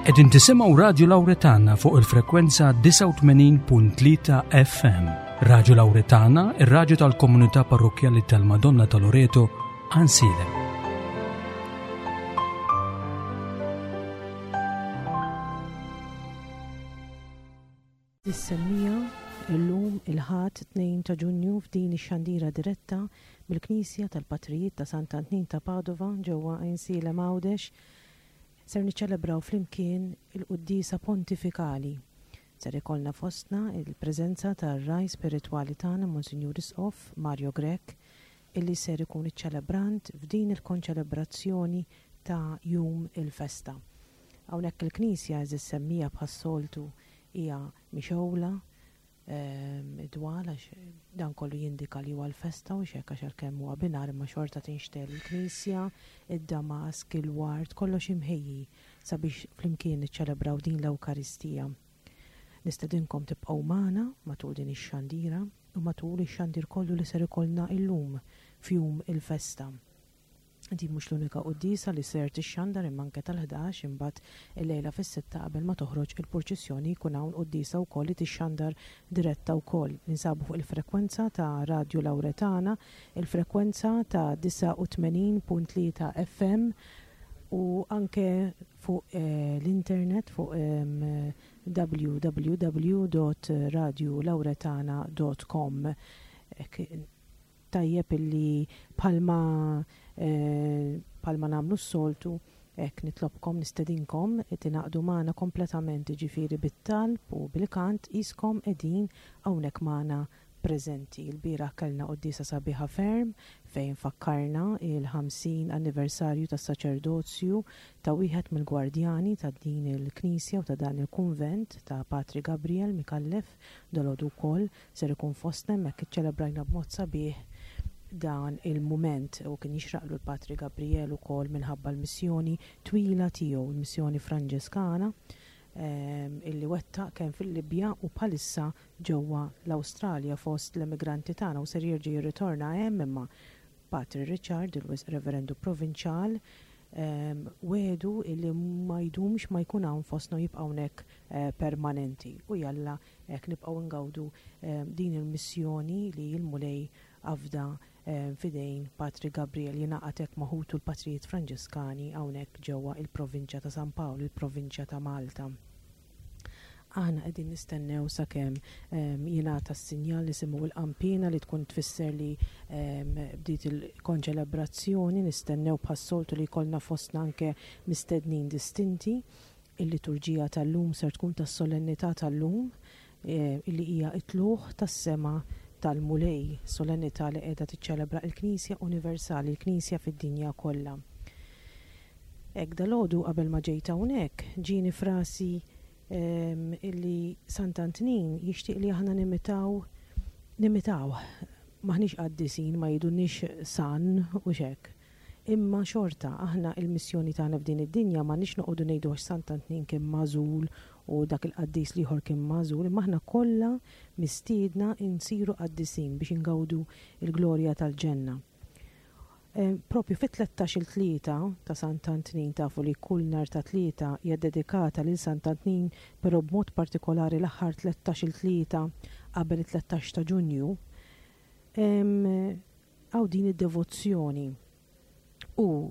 Qegħdin tisimgħu Radju Lawretana fuq il-frekwenza 89.3 FM. Radju Lawretana, ir-radju tal-komunità parrokkjali tal-Madonna ta' Loreto, Ansilem. Is-semmija, Illum il-Ħadd 2 ta' Ġunju f'din ix-xandira diretta mill-Knisja tal-Patrijiet ta' Sant'Antnin ta' Padova ġewwa Għajnsielem Għawdex ser niċċelebraw flimkien il-Quddiesa Pontifikali. Ser ikollna fostna il-preżenza tar-Ragħaj Spiritwali tagħna Monsinjur Isqof Mario Grech illi ser ikun iċ-ċelebrant f'din il-konċelebrazzjoni ta' jum il-festa. Hawnhekk il-knisja għeżież semmija bħas-soltu hija mixgħula id-dwal għax dan kollu jindika li huwa l-festa u hekk għax għalkemm huwa binhar imma xorta tinxtegħel il-knisja, id-damask, il-ward, kollox imħejji sabiex flimkien niċċelebraw din l-Ewkaristija. Nistedinkom tibqgħu magħna matul din ix-xandira u matul ix-xandir kollu li ser ikollna illum f'jum il-festa. Din mhux l-unika quddiesa li ser tixxandar imma anke tal-ħdax imbagħad illejla fis-sitta qabel ma toħroġ il-purċissjoni jkun hawn quddiesa wkoll li tixxandar diretta wkoll. Ninsabu fuq il-frekwenza ta' Radju Lawretana, il-frekwenza ta' 89.3 FM u anke fuq l-internet fuq www.radiolawretana.com. Tajjeb illi bħalma bħalma nagħmlu s-soltu, hekk nitlobkom, nistedinkom tingħaqdu magħna kompletament, jiġifieri bit-talb u bil-kant qiskom qegħdin hawnhekk magħna preżenti. Ilbieraħ kellna quddiesa sabiħa ferm fejn fakkarna il-50 anniversarju tas-saċerdozju ta' wieħed mill-gwardjani ta' din il-knisja u ta' dan il-kunvent ta' Patri Gabriel Micallef dalgħodu wkoll Ser ikun fostna hemmhekk iċċelebrajna b'mod sabiħ dan il-mument u kien jixraqlu l-Patri Gabriel ukoll minħabba l-missjoni twila tiegħu, il-missjoni Franġiskana illi wettaq kemm fil-Libja u bħalissa ġewwa l-Awstralja fost l-emigranti tagħna u ser jerġa' jirritorna hemm imma Patri Richard, il-Wisq Reverendu Provinċjal, wegħdu illi ma jdumx ma jkun hawn fostna u jibqa' hawnhekk permanenti u jalla Hekk nibqgħu ngawdu din il-missjoni li l-Mulej afda f'idejn Patri Gabriel jingħaqad hekk ma' ħutu l-Patrijiet Franġiskani hawnhekk ġewwa il-Provinċja ta' San Pawl, il-Provinċja ta' Malta. Aħna qegħdin nistennew sakemm jingħata s-sinjal nisimgħu l-qanpiena li tkun tfisser li bdiet il-konċelebrazzjoni, nistennew bħas-soltu li jkollna fostna anke mistednin distinti. Il-liturġija tal-lum ser tkun tas-solennità tal-lum, illi hija t-tlugħ tas-sema tal-Mulej, solennità li qiegħda tiċċelebra l-Knisja universali, il-Knisja fid-dinja kollha. Hekk dalgħodu qabel ma ġejt hawnhekk, ġieni f'rasi illi Sant'Antnin jixtieq li aħna nimitaw nimitawh. M'aħniex qaddisin, ma jgħidulniex San u x'hekk. Imma xorta, aħna il-missjoni tagħna f'din id-dinja m'għandniex noqogħdu ngħidu għax Sant'Antnin kien magħżul u dak il-qaddis l-ieħor kien magħżul, imma aħna kollha mistiedna nsiru qaddisin biex ingawdu l-glorja tal-ġenna. Propju fit-tlettax-il tlieta ta' Sant'Antnin, tafu li kull nhar ta' Tlieta hija ddedikata lil Sant'Antnin, però b'mod partikolari l-aħħar tlettax-il tlieta qabel it-tlettax ta' Ġunju, Hawn din id-devozzjoni. U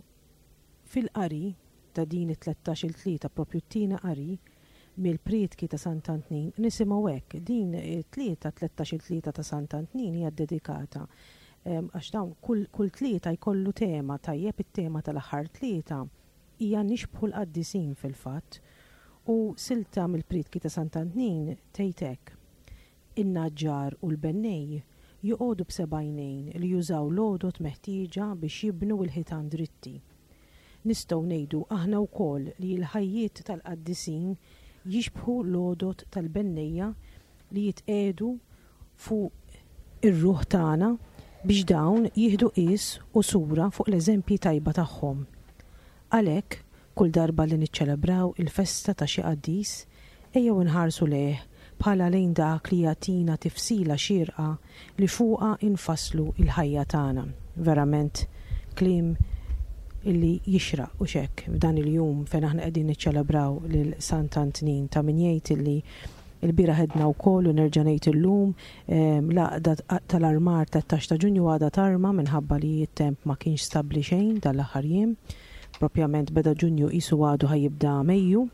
fil-qari ta' din it-tlettax-il tlieta, propju t-tieni qari mill-prietki ta' Sant'Antnin, nisimgħu hekk, din it-tlieta, tlettax-il tlieta ta' Sant'Antnin hija ddedikata għax dawn kull kull tlieta jkollu tema, tajjeb it-tema tal-aħħar tlieta hija nixbħu l-qaddisin fil-fatt. U silta mill-prietki ta' Sant'Antnin tgħid hekk, In-naġġar u l-bennej joqogħdu b'seba' għajnejn li jużaw l-għodod meħtieġa biex jibnu l-ħitan dritti. Nistgħu ngħidu aħna wkoll li l-ħajjiet tal-qaddisin jixbħu l-għodod tal-bennejja li jitqiegħdu fuq ir-ruħ tagħna biex dawn jieħdu qies u sura fuq l-eżempji tajba tagħhom. Għalhekk, kull darba li niċċelebraw il-festa ta' xi qaddis, ejjew inħarsu lejh bħala lejn dak li jagħtina tifsila xierqa li fuqha nfasslu l-ħajja tagħna. Verament kliem Illi jixraq, hux hekk, f'dan il-jum fejn aħna qegħdin niċċelebraw lil Sant'Antnin, ta' min jgħid illi l-bieraħ għedna wkoll u nerġa' ngħid illum, l-għaqda tal-armar 13 ta' Ġunju għadha tarma minħabba li t-temp ma kienx stabbli xejn dan l-aħħar jiem. Propjament beda Ġunju qisu għadu ħa jibda Mejju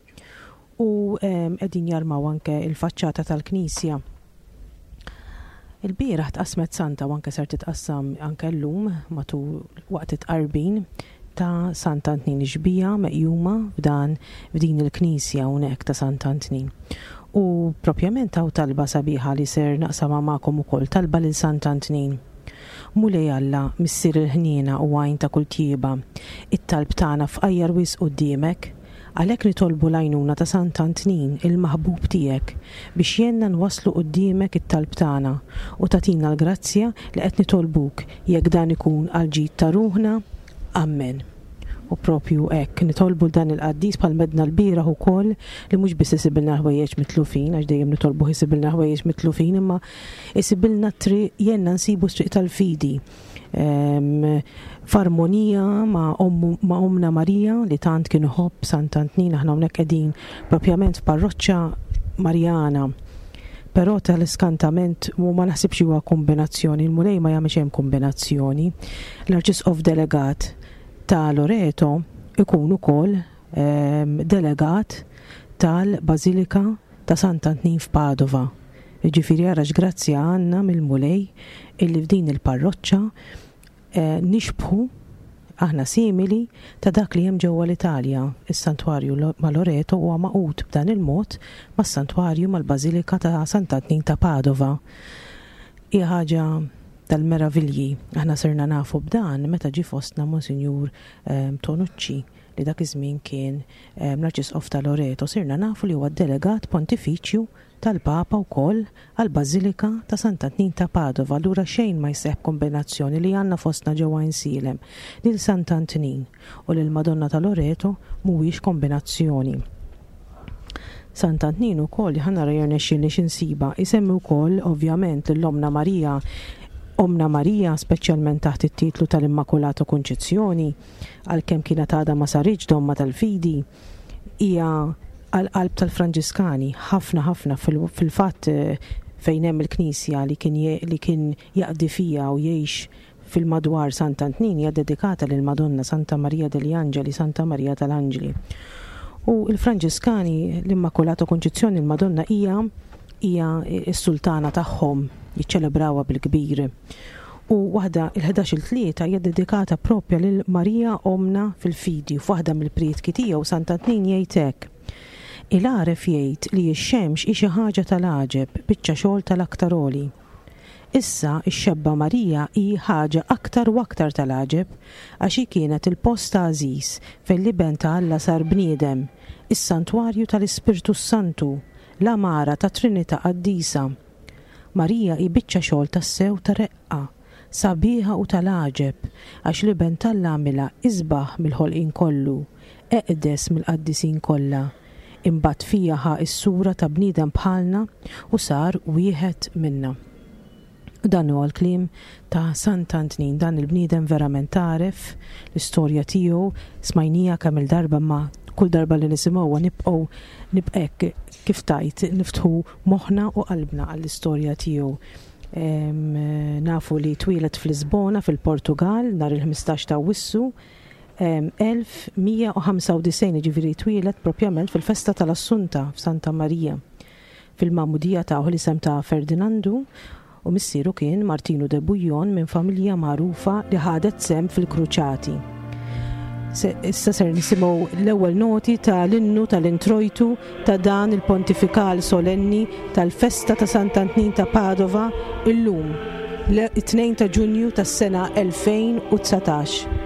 u qegħdin jarmaw anke l-faċċata tal-knisja. Il-bieraħ tqassmet santa u anke ser titqassam anke llum matul waqt it-tqarbin ta' Sant'Antnin ix-xbieha meqjuma f'dan f'din il-knisja hawnhekk ta' Sant'Antnin. U propjament hawn talba sabiħa li ser naqsamha magħkom ukoll, talba lil Sant'Antnin. Mulej Alla, Missier il-ħniena u għajn ta' kull tjieba, it-talb tagħna fqajjar wisq quddiemek. Għalhekk nitolbu l-għajnuna ta' Sant'Antnin, il-maħbub tiegħek, biex jgħinna nwasslu quddiemek it-talb tagħna u tagħtina l-grazzja li qed nitolbuk jekk dan ikun għall-ġid ta' ruħna. Ammen. U propju hekk, nitolbu 'l dan il-qaddis bħal m'għedna lbieraħ ukoll li mhux biss isibilna l-ħwejjeġ mitlufin, għax dejjem nitolbuh isibilna l-ħwejjeġ mitlufin, imma isibilna t-triq, jgħinna nsibu s-triq tal-fidi. F'armonija ma' ma' Ommna Marija li tant kien iħobb Sant'Antnin, aħna hawnhekk qegħdin propjament f'parroċċa Marjana. Però tal-iskantament u ma naħsibx huwa kombinazzjoni, il-Mulej ma jagħmel xejn kombinazzjoni. L-Arċisqof delegat ta' Loreto ikun ukoll delegat tal-Bażilika ta' Sant'Antnin f'Padova. Jiġifieri ara x'grazzja għandna mill-Mulej illi f'din il-parroċċa nixbħu, aħna simili ta' dak li hemm ġewwa l-Italja. Is-Santwarju ma' Loreto huwa magħqud b'dan il-mod mas-Santwarju mal-Bażilika ta' Sant'Antnin ta' Padova. Hija ħaġa tal-meravilji. Aħna sirna nafu b'dan meta ġie fostna Monsinjur Tonucci li dak iż-żmien kien l-Arċisqof ta' Loreto. Sirna nafu li huwa d-delegat pontifiċju tal-Papa wkoll għall-Bażilika ta' Sant'Antnin ta' Padova, allura xejn ma jseħħ b'kombinazzjoni li għandna fostna ġewwa Għajnsielem lil Sant'Antnin u lill-Madonna ta' Loreto mhuwiex kombinazzjoni. Sant'Antnin ukoll, ħa nara jirnexxielni xi nsibha, isemmi wkoll ovvjament lil Ommna Marija, Ommna Marija speċjalment taħt it-titlu tal-Immakulata Kunċizzjoni, għalkemm kienet għadha ma saritx domma tal-fidi, hija għall-qalb tal-Franġiskani, ħafna ħafna fil-fatt fejn hemm il-knisja li kien li kien jaqdi fiha u jgħix fil-madwar Sant'Antnin hija dedikata lill-Madonna Santa Maria degli Angeli, Santa Marija tal-Anġli. U l-Franġiskani l-Immakulata Kunċizzjoni l-Madonna hija hija s-sultana tagħhom, jiċċelebrawha bil-kbir. U waħda, il-ħdax-il tlieta hija ddedikata proprja lil Marija Ommna fil-fidi u f'waħda mill-prietki tiegħu Sant'Antnin jgħid hekk, Il-għaref jgħid li x-xemx hi xi ħaġa tal-għaġeb, biċċa xogħol tal-Aktar Għoli. Issa, ix-xebba Marija hi ħaġa aktar u aktar tal-għaġeb, għax hi kienet il-post għażiż fejn l-Iben ta' Alla sar bniedem, is-santwarju tal-Ispirtu s-Santu, l-għamara tat-Trinità Qaddisa. Marija hi biċċa xogħol tassew ta' reqqa, sabiħa u tal-għaġeb, għax l-Iben t'Alla għamilha isbaħ mill-ħolqien kollu, eqdes mill-qaddisin kollha, imbagħad fiha ħa s-sura ta' bniedem bħalna u sar wieħed minna. U dan huwa l-kliem ta' Sant'Antnin, dan il-bniedem verament għaref, l-istorja tiegħu smajnija kemm-il darba imma kull darba li nisimgħuha nibqgħu nibqa' hekk kif tgħid niftħu moħħna u qalbna għall-istorja tiegħu. Nafu li twieled f'Lisbona fil-Portugal nhar il-15 ta' Awwissu 1195, jiġifieri twieled propjament fil-festa tal-Assunta f'Santa Marija. Fil-magħmudija tawh l-isem ta' Ferdinandu u missieru kien Martinu de Bouillon minn familja magħrufa li ħadet sehem fil-Kruċati. Issa ser nisimgħu l-ewwel noti ta' l-innu tal-introjtu ta' dan il-pontifikal solenni tal-festa ta' Sant'Antnin ta' Padova illum, it-2 ta' Ġunju tas-sena 2019.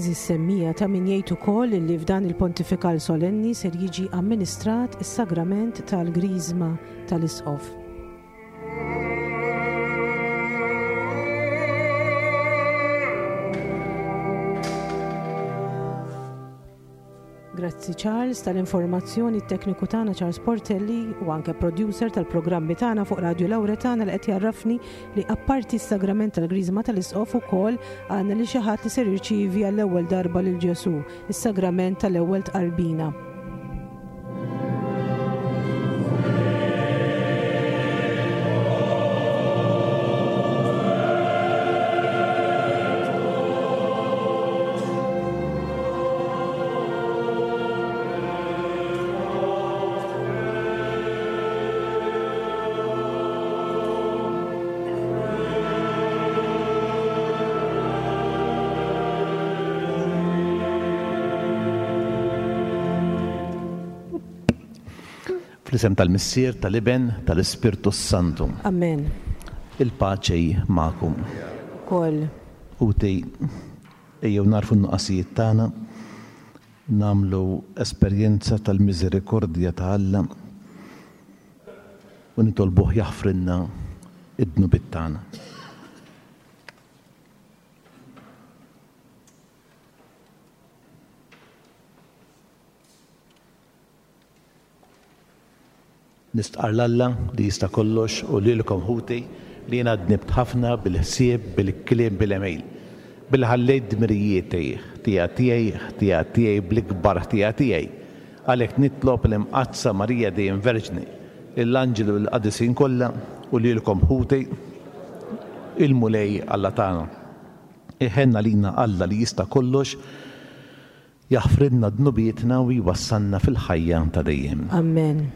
Għeżież semmiegħa ta' min jgħid ukoll illi f'dan il-Pontifikal Solenni ser jiġi amministrat is-Sagrament tal-Griżma tal-Isqof. Grazzi Charles tal-informazzjoni t-tekniku tagħna Charles Portelli u anke producer tal-programmi tagħna fuq Radio Lauretana li qed jarrafni li apparti s-sagrament tal-Griżma tal-Isqof ukoll għandna li xi ħadd li ser jirċievi għall-ewwel darba lil Ġesù, is-sagrament tal-ewwel tqarbina. Fl-isem tal-Missier, tal-Iben, tal-Ispirtu s-Santu. Amen. Il-paċi magħkom. Ukoll. Ħuti, ejjew nagħrfu n-nuqqasijiet tagħna, nagħmlu esperjenza tal-miżerikordja ta' Alla u nitolbuh jaħfrilna d-dnubiet tagħna. Nistqarr 'l Alla li jista' kollox u lilkom ħuti li jiena dnibt ħafna bil-ħsieb, bil-kliem, bil-għemil. Billi ħallejt dmirijieti, ħtija tiegħi, ħtija tiegħi bl-ikbar ħtija tiegħi. Għalhekk nitlob l-Imqaddsa Marija dejjem Verġni, lill-anġli u lill-qaddisin kollha u lilkom ħuti, il-Mulej Alla tagħna. Iħenn għalina Alla li jista' kollox, Jaħfrilna dnubietna u jwassalna fil-ħajja ta' dejjem. Amen.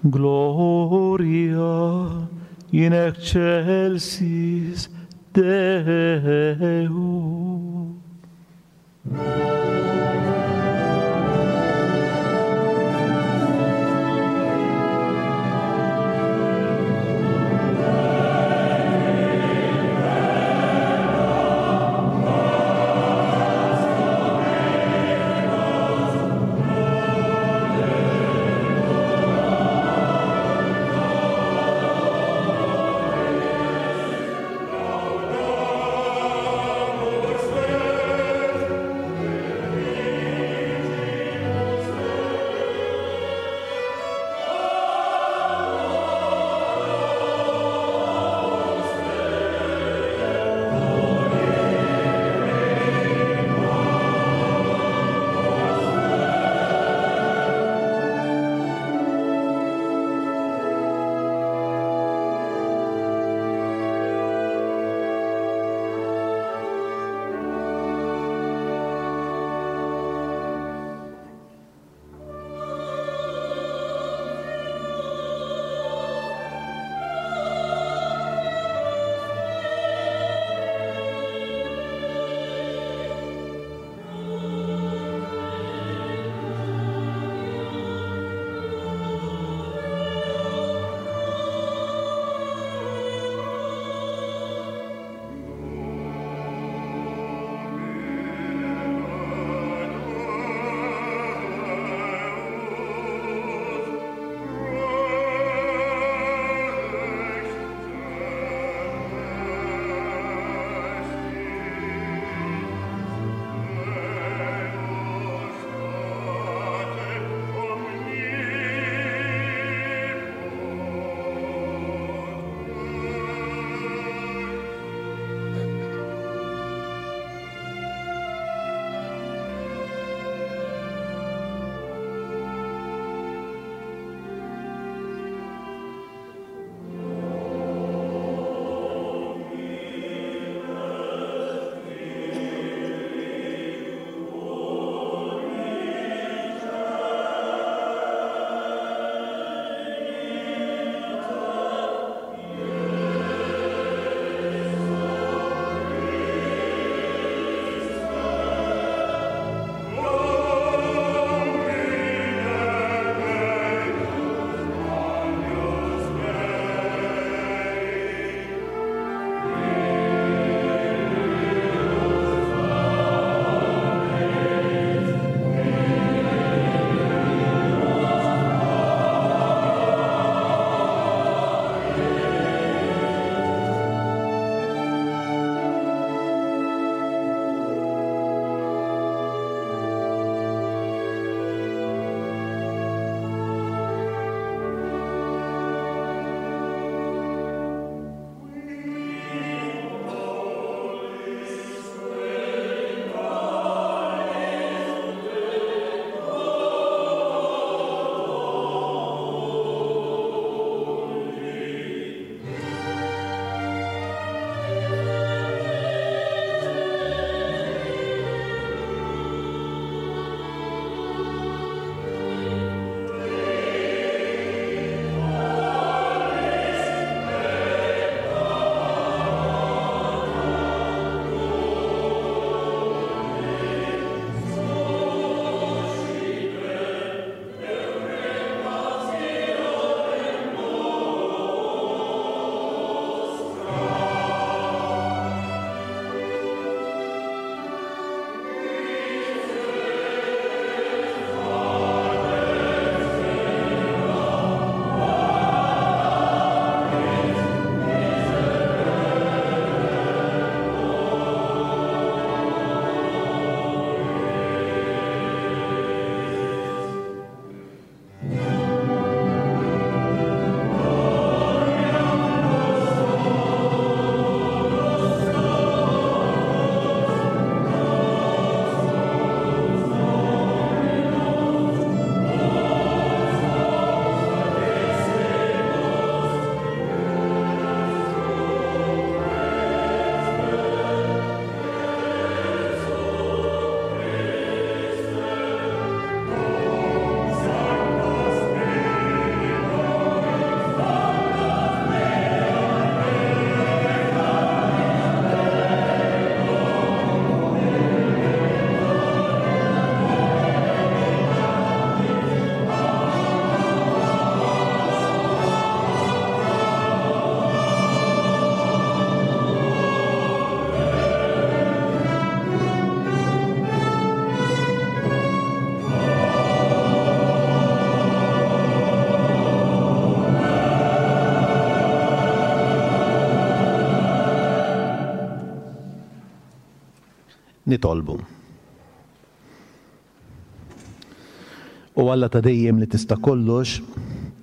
Gloria in excelsis Deo. Nitolbu. O Alla ta' dejjem li tista' kollox,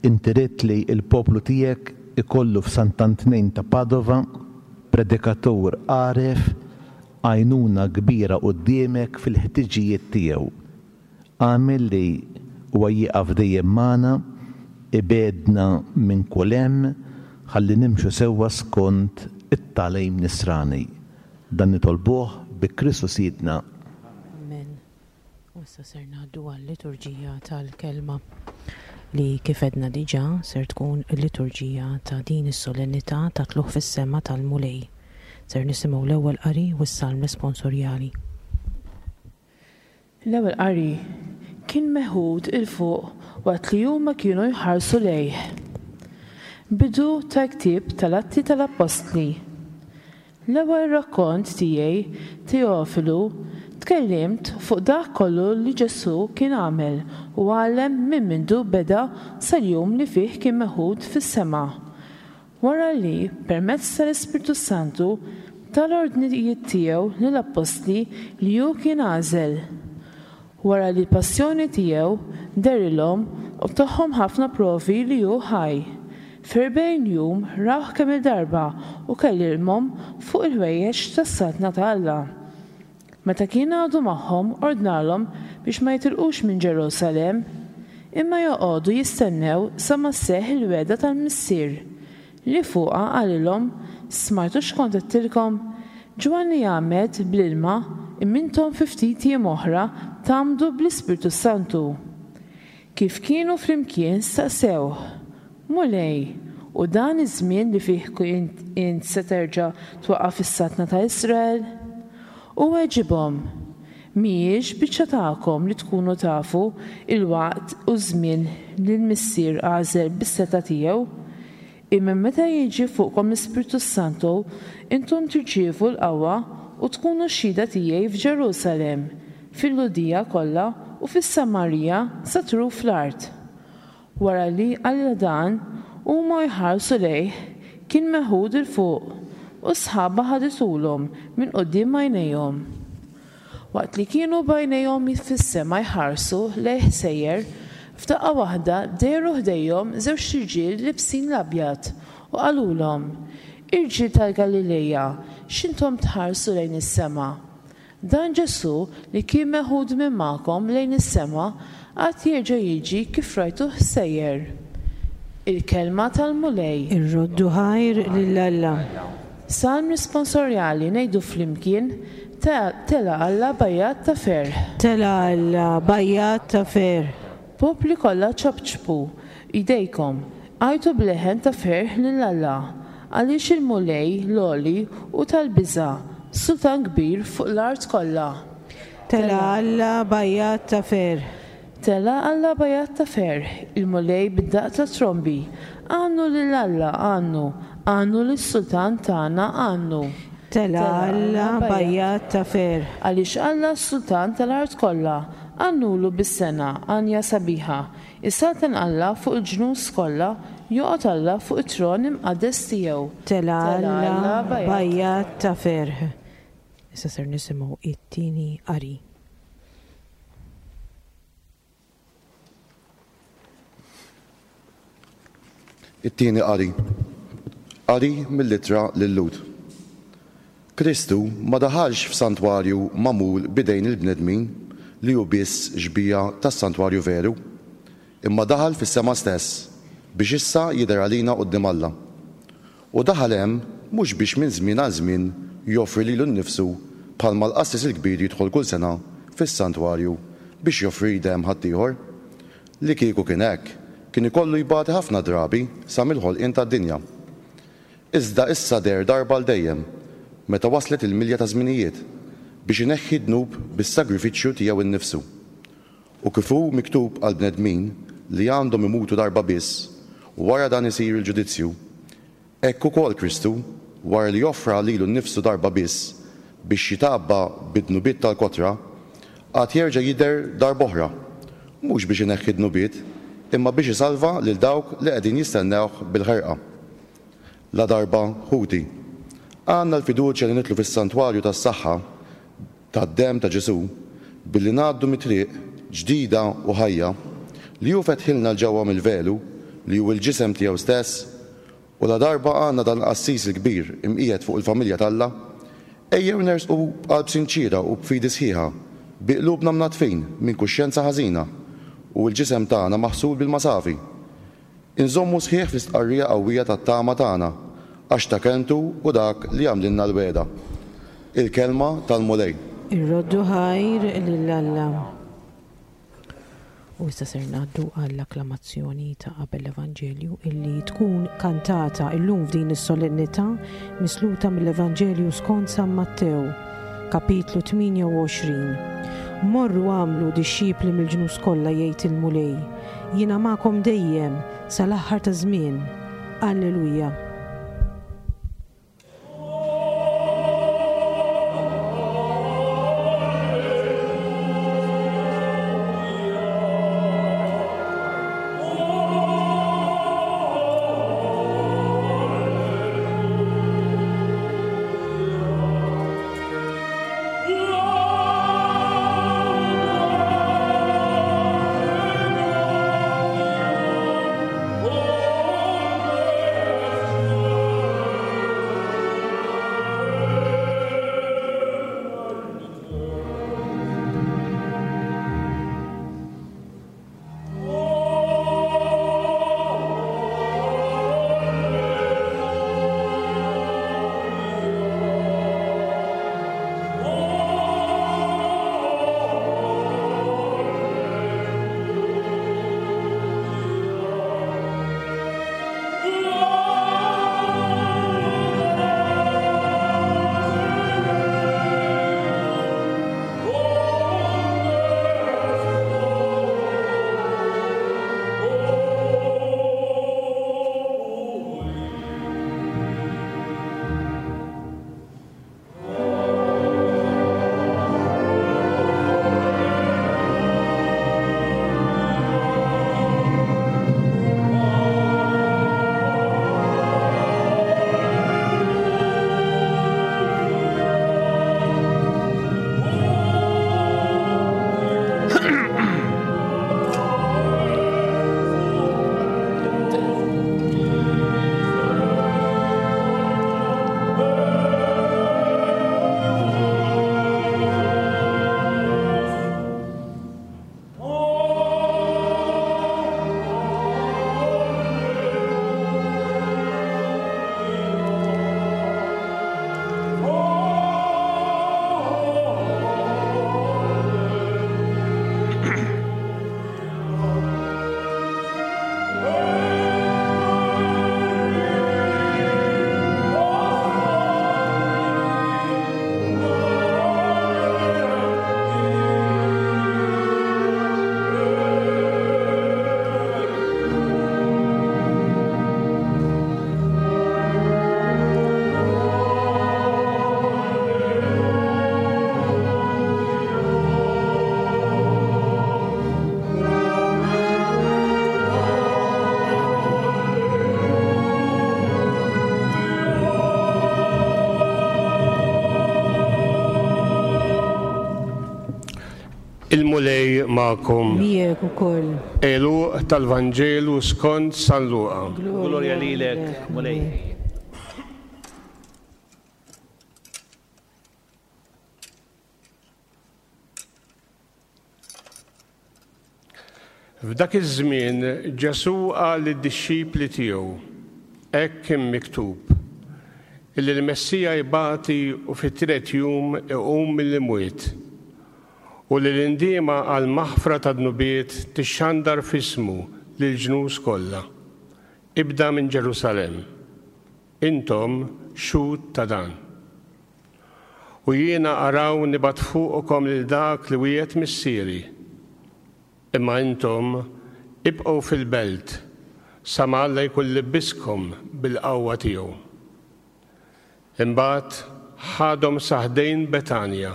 inti ridt li l-poplu tiegħek ikollu f'Sant'Antnin ta' Padova predikatur għaref, għajnuna kbira quddiemek fil-ħtiġijiet tiegħu. Agħmel li huwa jieqaf dejjem magħna, ibegħedna minn kull hemm, ħalli nimxu sewwa skont it-tagħlim Nisrani. Dan nitolbuh bi Kristu Sidna. Amen. U issa ser ngħaddu għal-liturġija tal-Kelma li kif għedna diġà ser tkun il-liturġija ta' din is-solennità ta' tlugħ fis-sema tal-Mulej. Ser nisimgħu l-ewwel qari u s-salm responsorjali. L-ewwel qari, Kien meħud 'il fuq waqt li huma kienu jħarsu lejh. Bidu tal-ktieb tal-Atti tal-Appostli. L-ewwel rakkont tiegħi, Teofilu, tkellimt fuq dak kollu li Ġesù kien għamel u għallem minn mindu beda sal-jum li fih kien meħud fis-sema, Wara li, permezz tal-Ispirtu s-Santu, ta l-ordnijiet tiegħu lill-appostli li hu kien għażel. Wara li l-passjoni tiegħu, dehrilhom u tahom ħafna provi li hu ħaj. F'erbgħin jum rawh kemm-il darba u kellimhom fuq il-ħwejjeġ tas-Saltna ta' Alla. Meta kien għadu magħhom ordnalhom biex ma jitilqux minn Ġerusalemm, imma joqogħdu jistennew sa ma sseħħ il-wegħda tal-Missier, li fuqha qalilhom, Smajtu x'kont għedtilkom? Ġwanni jgħammed bl-ilma, imma intom fi ftit jiem oħra tgħammdu bl-Ispirtu s-Santu. Kif kienu flimkien staqsewh, Mulej, hu dan iż-żmien li fih int se terġa' twaqqaf is-saltna ta' Israel? Hu weġibhom, Mhijiex biċċa tagħkom li tkunu tafu l-waqt u ż-żmien li l-Missier għażel bis-setgħa tiegħu. Imma meta jiġi fuqkom l-Ispirtu s-Santu, intom tirċievu l-qawwa u tkunu xhieda tiegħi f'Ġerusalemm, fil-Lhudija kollha u fis-Samarija sa truf l-art. Wara li qalilha dan, huma u jħarsu lejh, kien meħud 'il fuq, u s-sħaba ħadithulhom minn quddiem għajnejhom. Waqt li kienu b'għajnejhom fis-sema jħarsu lejh sejjer, f'daqqa waħda dehru ħdejhom żewġt irġiel libsin l-abjad, u qalulhom, Irġiel tal-Galileja, x'intom tħarsu lejn is-sema? Dan Ġesù li kien meħud minn magħkom lejn is-sema għad jerġa' jiġi kif rajtuh sejjer. Il-Kelma tal-Mulej. Irroddu ħajr lil Alla. Salm risponsorjali ngħidu flimkien, Tela' Alla b'għajjat ta' ferħ. Tela' Alla b'għajjat ta' ferħ. Popli kollha ċapċpu jdejkom, għajtu b'leħen ta' ferħ lil Alla, għaliex il-Mulej, l-Għoli, hu tal-biża', sultan kbir fuq l-art kollha. Tela' Alla b'għajjat ta' ferħ. Tela' Alla b'għajjat ta' ferħ, il-Mulej bid-daqq tat-trombi. Għannu lil Alla, għannu, għannu lis-Sultan tagħna, għannu. Tela' Alla b'għajjat ta' ferħ. Għaliex Alla s-Sultan tal-art kollha, Għannulu bis-sengħa għanja sabiħa. Isaltan Alla fuq il-ġnus kollha, joqgħod Alla fuq it-tron imqaddes tiegħu. Tela' Alla b'għajjat ta' ferħ. Issa ser nisimgħu it-tieni qari. It-tieni qari. Qari mill-Ittra lil-Lhud. Kristu ma daħalx f'santwarju magħmul b'idejn il-bnedmin li hu biss xbieha tas-santwarju veru, imma daħal fis-sema stess biex issa jidher għalina quddiem Alla. U daħal hemm mhux biex minn żmien għal żmien joffri lilu nnifsu bħalma l-qassis il-kbir jidħol kull sena fis-santwarju biex joffri demm ħaddieħor. Li kieku kien hekk, kien ikollu jbati ħafna drabi sa mill-ħolqien tad-dinja. Iżda issa deher darba għal dejjem, meta waslet il-milja taż-żminijiet, biex ineħħi d-dnub bis-sagrifiċċju tiegħu nnifsu. U kif hu miktub għall-bnedmin li għandhom imutu darba biss, u wara dan isir il-ġudizzju, hekk ukoll Kristu, wara li offra lilu nnifsu darba biss biex jitgħabba bid-dnubiet tal-kotra, għad jerġa' jidher darb'oħra, mhux biex ineħħi d-dnubiet, imma biex isalva lil dawk li qegħdin jistennewh bil-ħerqa. Ladarba, ħuti, għandna l-fiduċja li nidħlu fis-santwarju tas-saħħa. Tad-demm ta' Ġesù, billi ngħaddu mit-triq ġdida u ħajja, li hu fetħilna 'l ġewwa mill-velu, li hu l-ġisem tiegħu stess, u ladarba għandna dan il-qassis il-kbir imqiegħed fuq il-familja t'Alla, ejjew nersqu b'qalb sinċiera u b'fidi sħiħa, bi qlubna mnaddfin minn kuxjenza ħażina, u l-ġisem tagħna maħsul b'ilma safi. Inżommu sħiħ fl-istqarrija qawwija tat-tama tagħna, għax ta' kelmtu hu dak li għamlilna l-wegħda. Il-Kelma tal-Mulej. Irroddu ħajr lil Alla. U issa ser ngħaddu għall-akklamazzjoni ta' qabel l-Evanġelju illi tkun kantata illum f'din is-solennità misluta mill-Evanġelju skont San Mattew, kapitlu 28. Morru agħmlu dixxipli mill-ġnus kollha jgħid il-Mulej. Jiena magħkom dejjem, sal-aħħar taż-żmien. Alleluja. Il-Mulej magħkom. Miegħek ukoll. Għeluq tal-Vanġelu skont San Luqa. Glorja lilek, Mulej. F'dak iż-żmien Ġesù qal lid-dixxipli tiegħu, Hekk kien miktub, illi l-Messija jbati u fit-tielet jum iqum mill-imwiet, u li l-indiema għall-maħfra tad-dnubiet tixxandar f'ismu lill-ġnus kollha, ibda minn Ġerusalemm. Intom xhud ta' dan. U jiena araw nibgħat fuqkom lil dak li wiegħed Missieri. Imma intom ibqgħu fil-belt sa ma Alla jkun libbiskom bil-qawwa tiegħu. Imbagħad ħadhom sa ħdejn Betanja,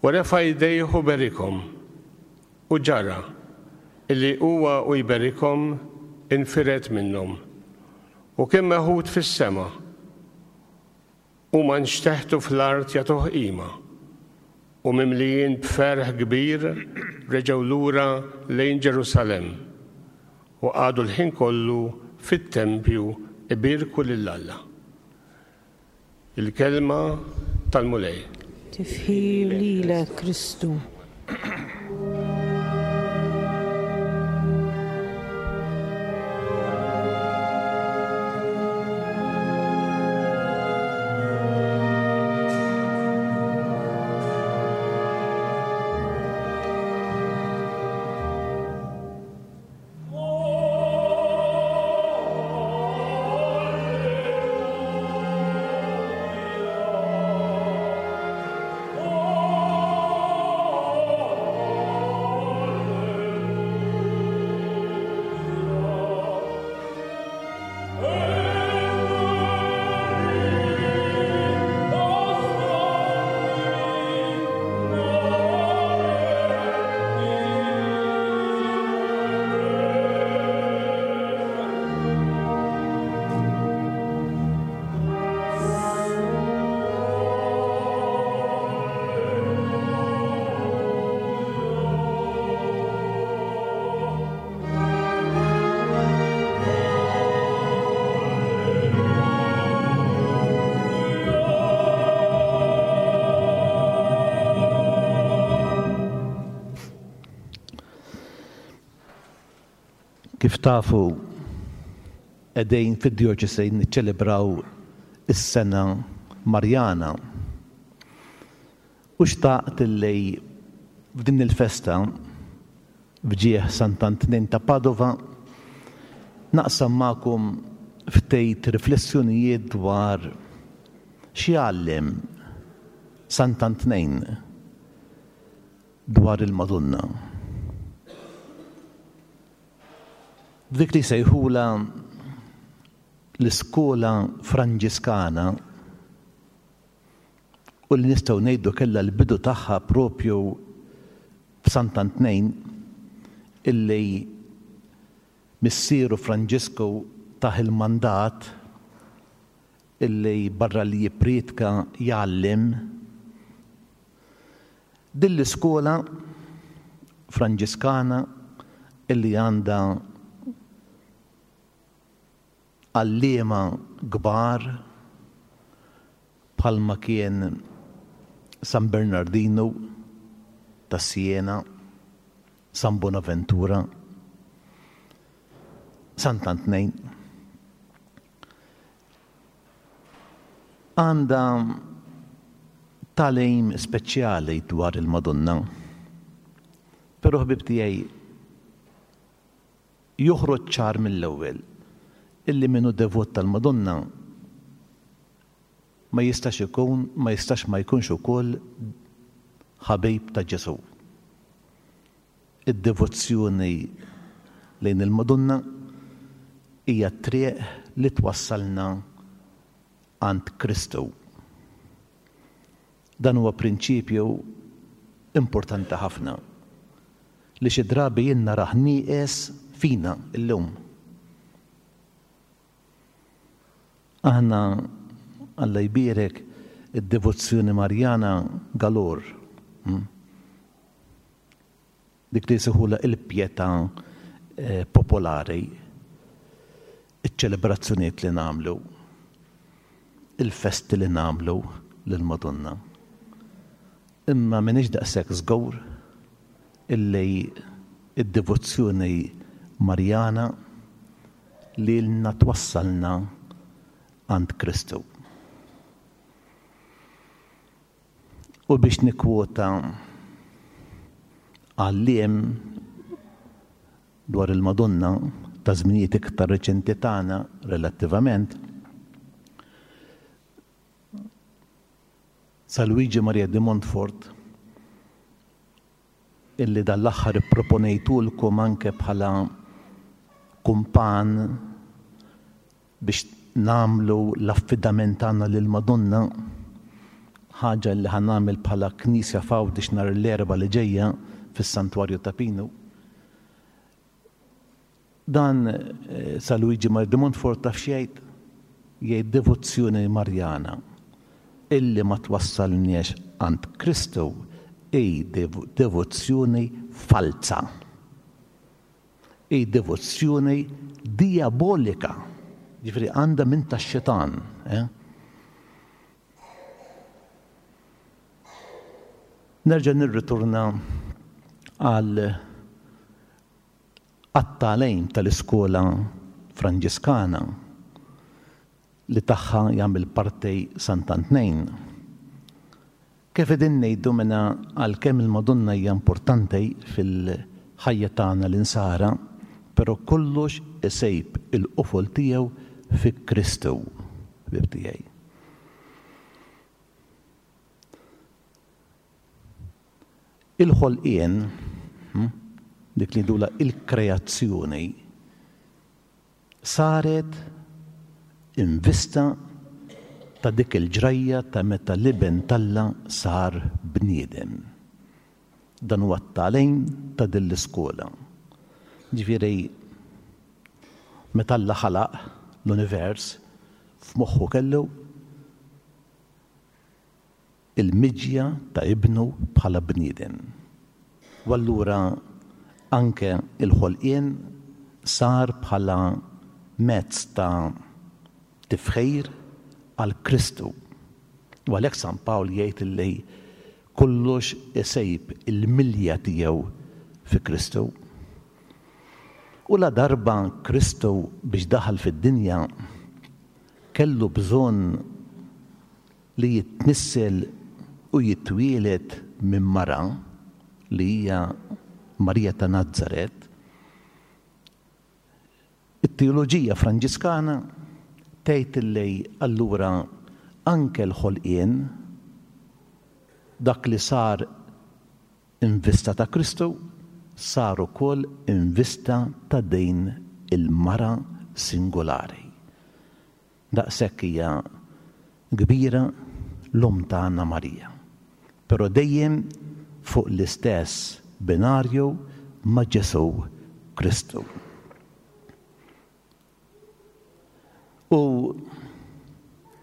u refa' jdejh u berikhom. U ġara, illi huwa u jberikhom infired minnhom, u kien meħud fis-sema. Huma nxteħtu fl-art jagħtuh qima. U mimlijin b'ferħ kbir reġgħu lura lejn Ġerusalemm, u qagħdu l-ħin kollu fit-tempju ibierku lil Alla. Il-Kelma tal-Mulej. Tifħir lilek, Kristu. Kif tafu, qegħdin fid-djoċesi niċċelebraw is-sena Marjana. U xtaqt li f'din il-festa F'ġieħ Sant'Antnin ta' Padova, naqsam magħkom ftejt riflessjonijiet dwar x'jgħallem Sant'Antnin dwar il-Madonna. F'dik li jsejħulha l-iskola Franġiskana, u li nistgħu ngħidu kellha l-bidu tagħha propju f'Sant'Antnejn illi missieru Franġisku tah il-mandat illi barra li jipprietka jgħallem. Din l-iskola Franġiskana illi għandha għalliema kbar bħalma kien San Bernardinu ta' Siena, San Bonaventura, Sant'Antnejn. Għandha tagħlim speċjali dwar il-Madonna. Però ħbieb tiegħi Joħroġ ċar mill-ewwel illi min hu devot tal-Madonna ma jistax ikun ma jistax ma jkunx ukoll ħabib ta' Ġesù. Id-devozzjoni lejn il-Madonna hija t-triq li twassalna għand Kristu. Dan huwa prinċipju importanti ħafna li xi drabi jien narah nieqes fina llum. Aħna, Alla jbierek, id-devozzjoni Marjana galore. Hmm? Dik li jsejħulha il-pjetà popolari, iċ-ċelebrazzjonijiet li nagħmlu, il-festi li nagħmlu lill-Madonna. Imma m'iniex daqshekk żgur illi d-devozzjoni Marjana lilna twassalna għand Kristu. U biex nikkwota għalliem dwar il-Madonna ta' żminijiet iktar reċenti tagħna relattivament, Sa Luigi Maria de Montfort, illi dan l-aħħar ipproponejtulkom anke bħala kumpan biex nagħmlu l-affidament tagħna lill-Madonna, ħaġa li ħa nagħmel bħala Knisja f'Għawdex nhar l-Erbgħa li ġejja fis-Santwarju ta' Pinu. Dan Sa Luigi Maria de Montfort taf x'jgħid? Jgħid devozzjoni Marjana illi ma twassalniex għand Kristu. hi devozzjoni falza. Hi devozzjoni diabolika. Ġifieri għandha minn tax-xitan. Eh? Nerġa' nirritorna għal għat-tagħlim tal-iskola Franġiskana li tagħha jagħmel parti Sant'Antnejn. Kif qegħdin ngħidu mela għalkemm il-Madonna hija importanti fil-ħajja tagħna l-insara, però kollox isejb il-qofol tiegħu fi Kristu, ħbieb tiegħi. Il-ħolqien, hm, dik li ngħidulha il-kreazzjoni, saret in vista ta' dik il-ġrajja ta' meta l-Iben t'Alla sar bniedem. Dan huwa t-tagħlim ta' din l-iskola. Ġifieri, meta Alla ħalaq l-univers, f'moħħu kellu il-miġja ta' Ibnu bħala bniedem. U allura anke l-ħolqien sar bħala mezz ta' tifħir għal Kristu. U għalhekk San Pawl jgħid li kollox isejb il-milja tiegħu fi Kristu. U ladarba Kristu biex daħal fid-dinja kellu bżonn li jitnissel u jitwieled minn mara, li hija Marija ta' Nazaret, it-teoloġija Franġiskana tgħid li allura anke l-ħolqien, dak li sar in vista ta' Kristu, sar ukoll in vista ta' din il-mara singolari. Daqshekk hija kbira l-Omm tagħna Marija. Però dejjem fuq l-istess binarju ma' Ġesù Kristu. U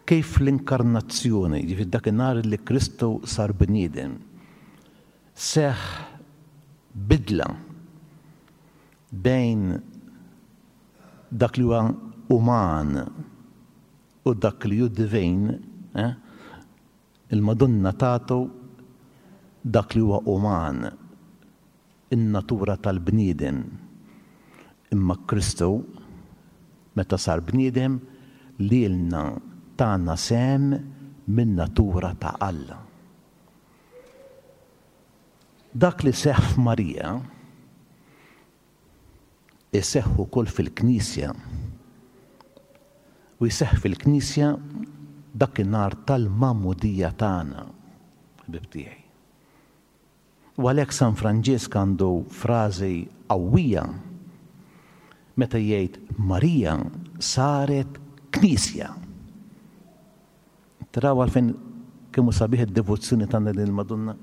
kif l-inkarnazzjoni, jiġifieri dakinhar li Kristu sar bniedem, seħħ bidla bejn dak li huwa uman u dak li hu divin, eh, il-Madonna tagħtu dak li huwa uman, in-natura tal-bniedem. Imma Kristu, meta sar bniedem, lilna tana sehem min-natura ta' Alla. Dak li seħħ f'Marija, iseħħ ukoll fil-Knisja. U jseħħ fil-Knisja dakinhar tal-magħmudija tagħna, ħbieb tiegħi. U għalhekk San Franġisk għandu frażi qawwija meta jgħid Marija saret Knisja. Taraw għalfejn kemm hu sabiħ id-devozzjoni tagħna lil Madonna?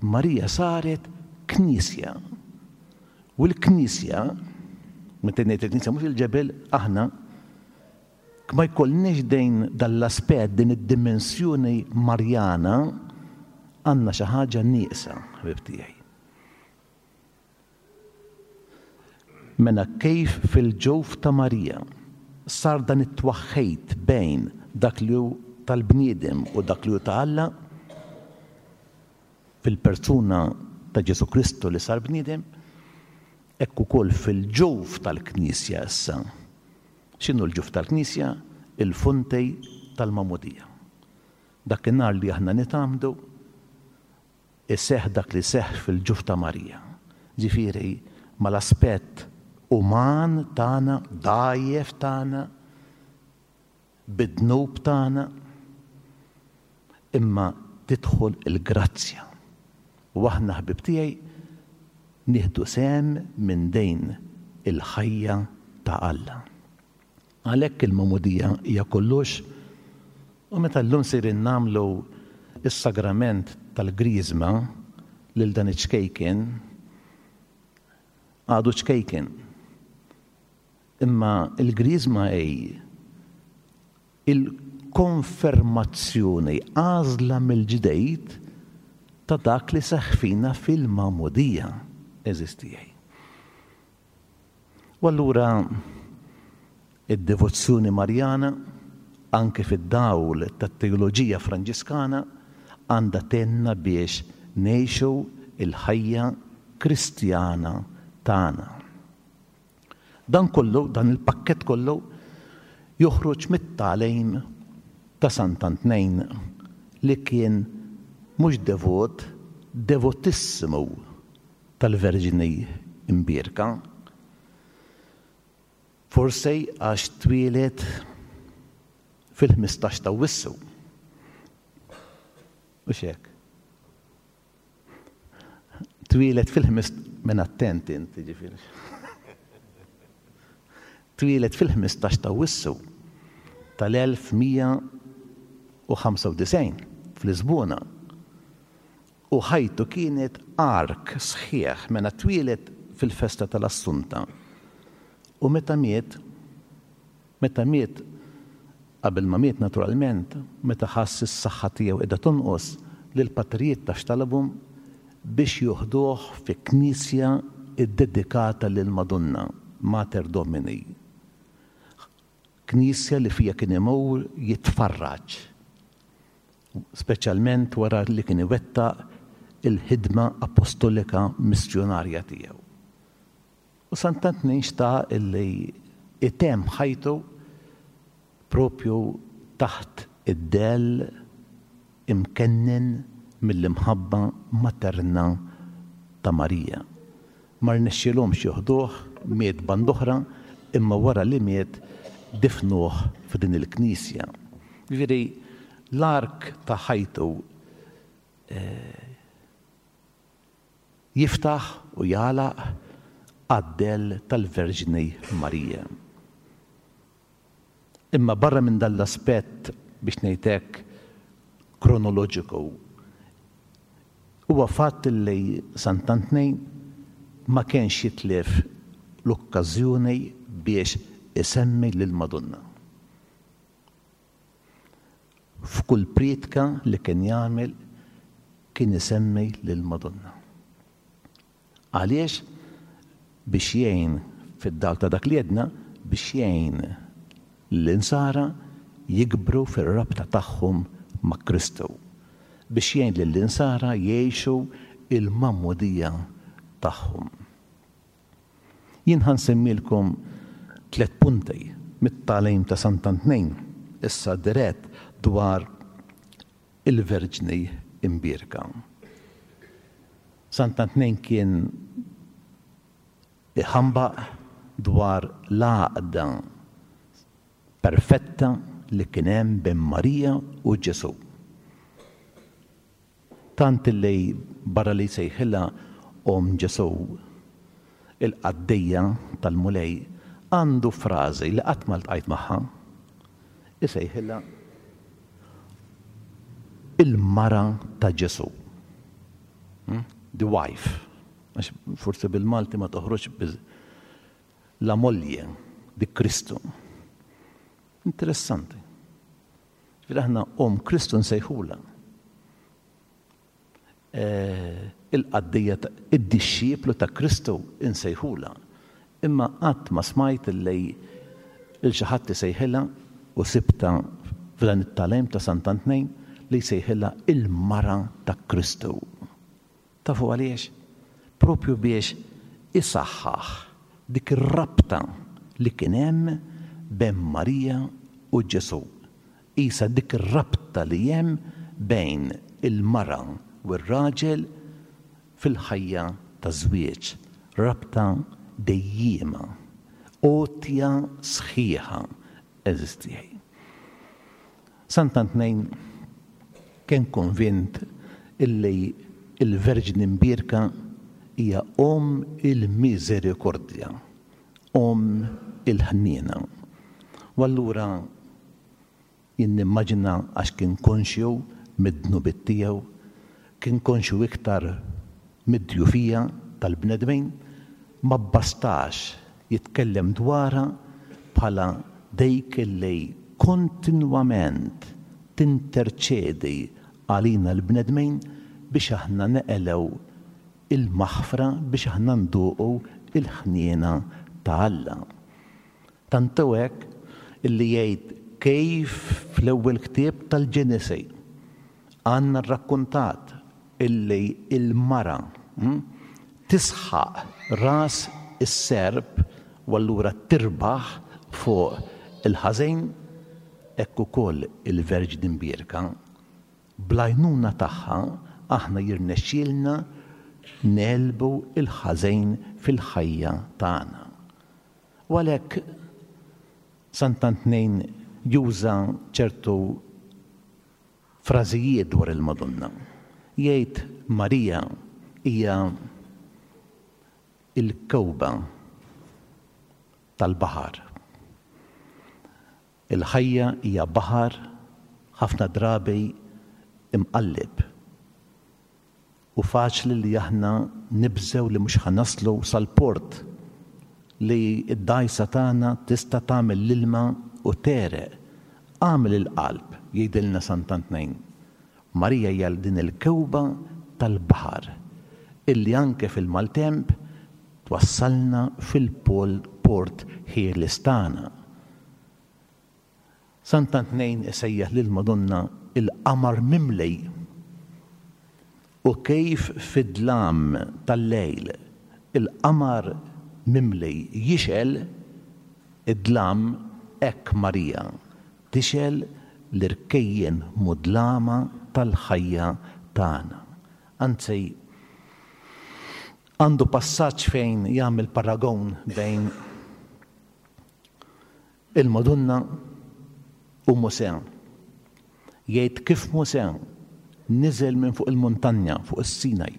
Marija saret Knisja. U l-Knisja, meta ngħid il-Knisja mhux il-ġebel, aħna ma jkollniex dejn dal-aspett, din id-dimensjoni Marjana, għandna xi ħaġa nieqsa, ħbib tiegħi. Mela kif fil-ġuf ta' Marija sar dan it-twaħħid bejn dak li hu tal-bniedem u dak li hu ta' Alla, fil-persuna ta' Ġesù Kristu li sar bniedem, hekk ukoll fil-ġuf tal-Knisja issa. X'inhu l-ġuf tal-Knisja? Il-fonti tal-magħmudija. Dakinhar li aħna nitgħammdu, iseħħ dak li seħħ fil-ġuf ta' Marija. Ġifieri, mal-aspett uman tagħna, dgħajjef tagħna, bid-dnub tagħna, imma tidħol il-grazzja. U aħna ħbieb tiegħi nieħdu sehem minn din il-ħajja ta' Alla. Għalhekk il-magħmudija hija kollox u meta llum sejrin nagħmlu s-sagrament tal-Griżma lil dan iċ-ċkejken, għadu ċkejken. Imma l-Griżma hi il-konfermazzjoni, għażla mill-ġdid. ta' dak li seħħ fina fil-magħmudija, għeżież tiegħi. U allura id-devozzjoni Marjana, anke fid-dawl tat-teoloġija Franġiskana, għandha tgħinna biex ngħixu l-ħajja Kristjana tagħna. Dan kollu, dan il-pakkett kollu, joħroġ mit-tagħlim ta' Sant'Antnejn li kien mhux devot, devotissimu tal-Verġni Mbierka. Forsi għax twieled fil-15 ta' Awwissu. Hux hekk? Twieled fil-ħmis minn attent int, jiġifieri. Twieled fil-15 ta' Awwissu tal-1195 f'Lisbona u ħajtu kienet ark sħiħ mela twieled fil-festa tal-Assunta u meta miet Meta miet, qabel ma miet naturalment, meta ħass is-saħħa tiegħu qiegħda tonqos, lill-patrijiet taf x'talabhom? Biex joħduh fi knisja ddedikata lill-Madonna, Mater Domini. Knisja li fiha kien imur jitfarraġ, speċjalment wara li kien iwettaq il-ħidma apostolika missjunarja tiegħu. U Sant'Antnin xtaq illi jtemm ħajtu propju taħt id-dell imkennen mill-imħabba materna ta' Marija. Ma rnexxielhomx joħduh, miet band'oħra, imma wara li miet difnuh f'din il-knisja. Jiġifieri l-ark ta' ħajtu Jiftaħ u jagħlaq għad-dell tal-Verġni Marija. Imma barra minn dan l-aspett, biex ngħid hekk, kronoloġiku, huwa fatt li Sant'Antni ma kienx jitlef l-okkażjoni biex isemmi lill-Madonna. F'kull prietka li kien jagħmel kien isemmi lill-Madonna. Għaliex? Biex jgħin, fid-dawl ta' dak li għedna, biex jgħin lill-insara jikbru fir-rabta tagħhom ma' Kristu. Biex jgħin lill-insara jgħixu l-magħmudija tagħhom. Jien ħa nsemmilkom tlett punti mit-tagħlim ta' Sant'Antnin, issa dirett dwar il-Verġni Imbierka. Sant'Antnin kien iħambaq dwar l-għaqda perfetta li kien hemm bejn Marija u Ġesù. Tant li barra li jsejħilha Omm Ġesù, il-qaddejja tal-Mulej, għandu frażi li qatt ma ltqajt magħha. Isejħilha il-mara ta' Ġesù. The wife. Għax forsi bil-Malti ma toħroġx biz la moglie di Kristu. Interessanti. Ġifieri aħna Omm Kristu nsejħulha. Il-qaddejja id-dixxiplu ta' Kristu nsejħulha. Imma qatt ma smajt li lil xi ħadd isejħilha u sibtha f'dan it-tagħlim ta' Sant'Antnejn li jsejħilha il-mara ta' Kristu. Tafu għaliex? Propju biex isaħħaħ dik ir-rabta li kien hemm bejn Marija u Ġesù. Qisha dik ir-rabta li hemm bejn il-mara u r-raġel fil-ħajja taż-żwieġ, rabta dejjiema, għotja sħiħa, għeżież tiegħi. Sant'Antnejn kien konvint illi l-Verġni Mbierka hija Omm il-Miżerikordja, Omm il-Ħniena. U allura jien nimmaġina għax kien konxju mid-dnubiet tiegħu, kien konxju iktar mid-djufija tal-bnedmin, ma bbastax jitkellem dwarha bħala dik li kontinwament tinterċedi għalina l-bnedmin. biex aħna neqelgħu il-maħfra, biex aħna nduqu il-ħniena ta' Alla. Tant hu hekk illi jgħid kif fl-ewwel ktieb tal-Ġenesi għandna rrakkuntat illi l-mara tisħaq ras is-serp u allura tirbaħ fuq il-ħażin, hekk ukoll il-Verġni Mbierka, bl-għajnuna tagħha aħna jirnexxielna negħlbu l-ħażin fil-ħajja tagħna. U għalhekk Sant'Antnin juża ċertu frażijiet dwar il-Madonna. Jgħid Marija hija l-kewba tal-baħar. Il-ħajja hija baħar ħafna drabi imqalleb u faċli li aħna nibżgħu li mhux ħa naslu sal-port, li d-dgħajsa tagħna tista' tagħmel l-ilma u tegħreq. Agħmel il-qalb, jgħidilna Sant'Antnin. Marija hija din il-kewba tal-baħar illi anke fil-maltemp twassalna fil-port ħieles tagħna. Sant'Antnejn isejjaħ lill-Madonna l-qamar mimli u kif fid-dlam tal-lejl il-qamar mimli jixgħel id-dlam hekk Marija tixgħel l-irkejjen mudlama tal-ħajja tagħna. Anzi, għandu passaġġ fejn jagħmel paragon bejn Il-Madonna u Mosè. Jgħid kif Mosè niżel minn fuq il-muntanja, fuq is-Sinaj,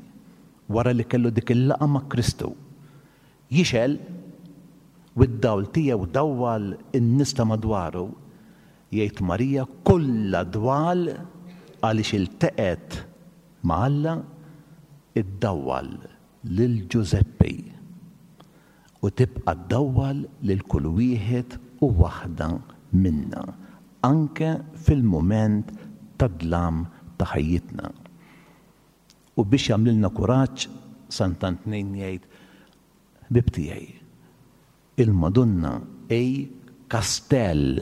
wara li kellu dik il-laqgħa ma' Kristu, jixgħel u d-dawl tiegħu dawwal in-nies ta' madwaru, jgħid Marija kollha dwal għaliex ilteqgħet ma' Alla, iddawwal lil Ġużeppi. U tibqa' ddawwal lil kull wieħed u waħda minna, anke fil-mument tad-dlam ta' ħajjitna. U biex jagħmlilna kuraġġ, Sant'Antnin jgħid, Ħbieb tiegħi, il-Madonna hi kastell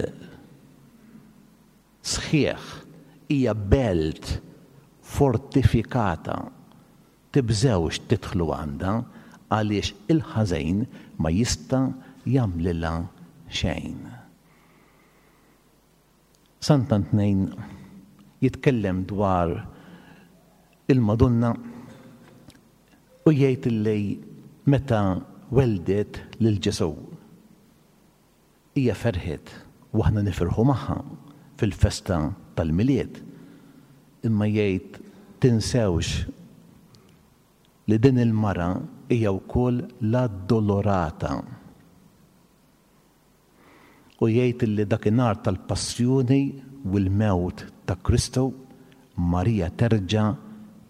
sħiħ, hija belt fortifikata. Tibżgħux tidħlu għandha għaliex il-ħażin ma jista' jagħmlilha xejn. Sant'Antnin jitkellem dwar il-Madonna u jgħid li meta welldet lil Ġesù, Hija ferħet u aħna nifirħu magħha fil-festa tal-Milied. Imma jgħid tinsewx li din il-mara hija wkoll l-Addolorata. U jgħid li dakinhar tal-passjoni u l-mewt ta' Kristu, Marija terġa'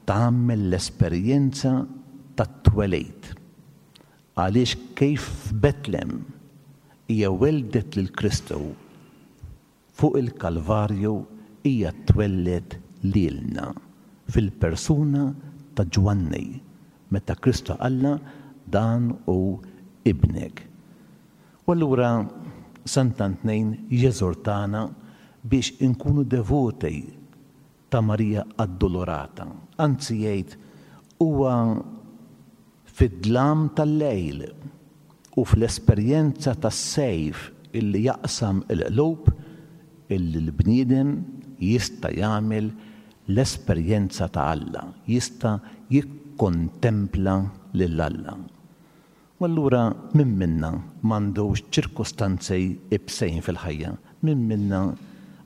tagħmel l-esperjenza tat-twelid. Għaliex kif f'Betlem hija welldet lil Kristu, fuq il-Kalvarju hija twelled lilna fil-persuna ta' Ġwanni, meta Kristu qallha, Dan hu ibnek. U allura Sant'Antnin jeżortana biex inkunu devoti ta' Marija Addolorata. Anzi jgħid, huwa fid-dlam tal-lejl u fl-esperjenza tas-sejf illi jaqsam il-qlub illi l-bniedem jista' jagħmel l-esperjenza ta' Alla, jista' jikkontempla lil Alla. U allura min minna m'għandux ċirkustanzi ibsejn fil-ħajja? Min minna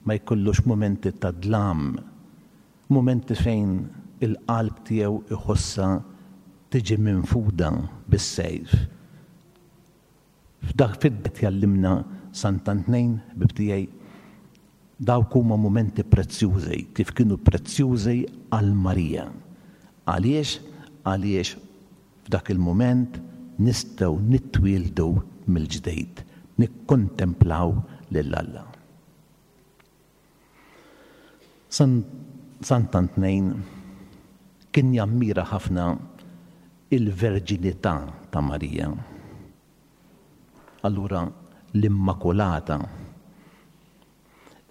ma jkollux mumenti ta' dlam, mumenti fejn il-qalb tiegħu jħossha tiġi minfuda bis-sejf? F'dak qed jgħallimna Sant'Antnin, ħbieb tiegħi, dawk huma mumenti prezzjużi, kif kienu prezzjużi għal Marija. Għaliex? Għaliex F'dak il-mument nistgħu nitwieldu mill-ġdid, nikkontemplaw lil Alla. Sant'Antnin. Kien jammira ħafna il-verġinità ta' Marija. Allura l-Immakulata.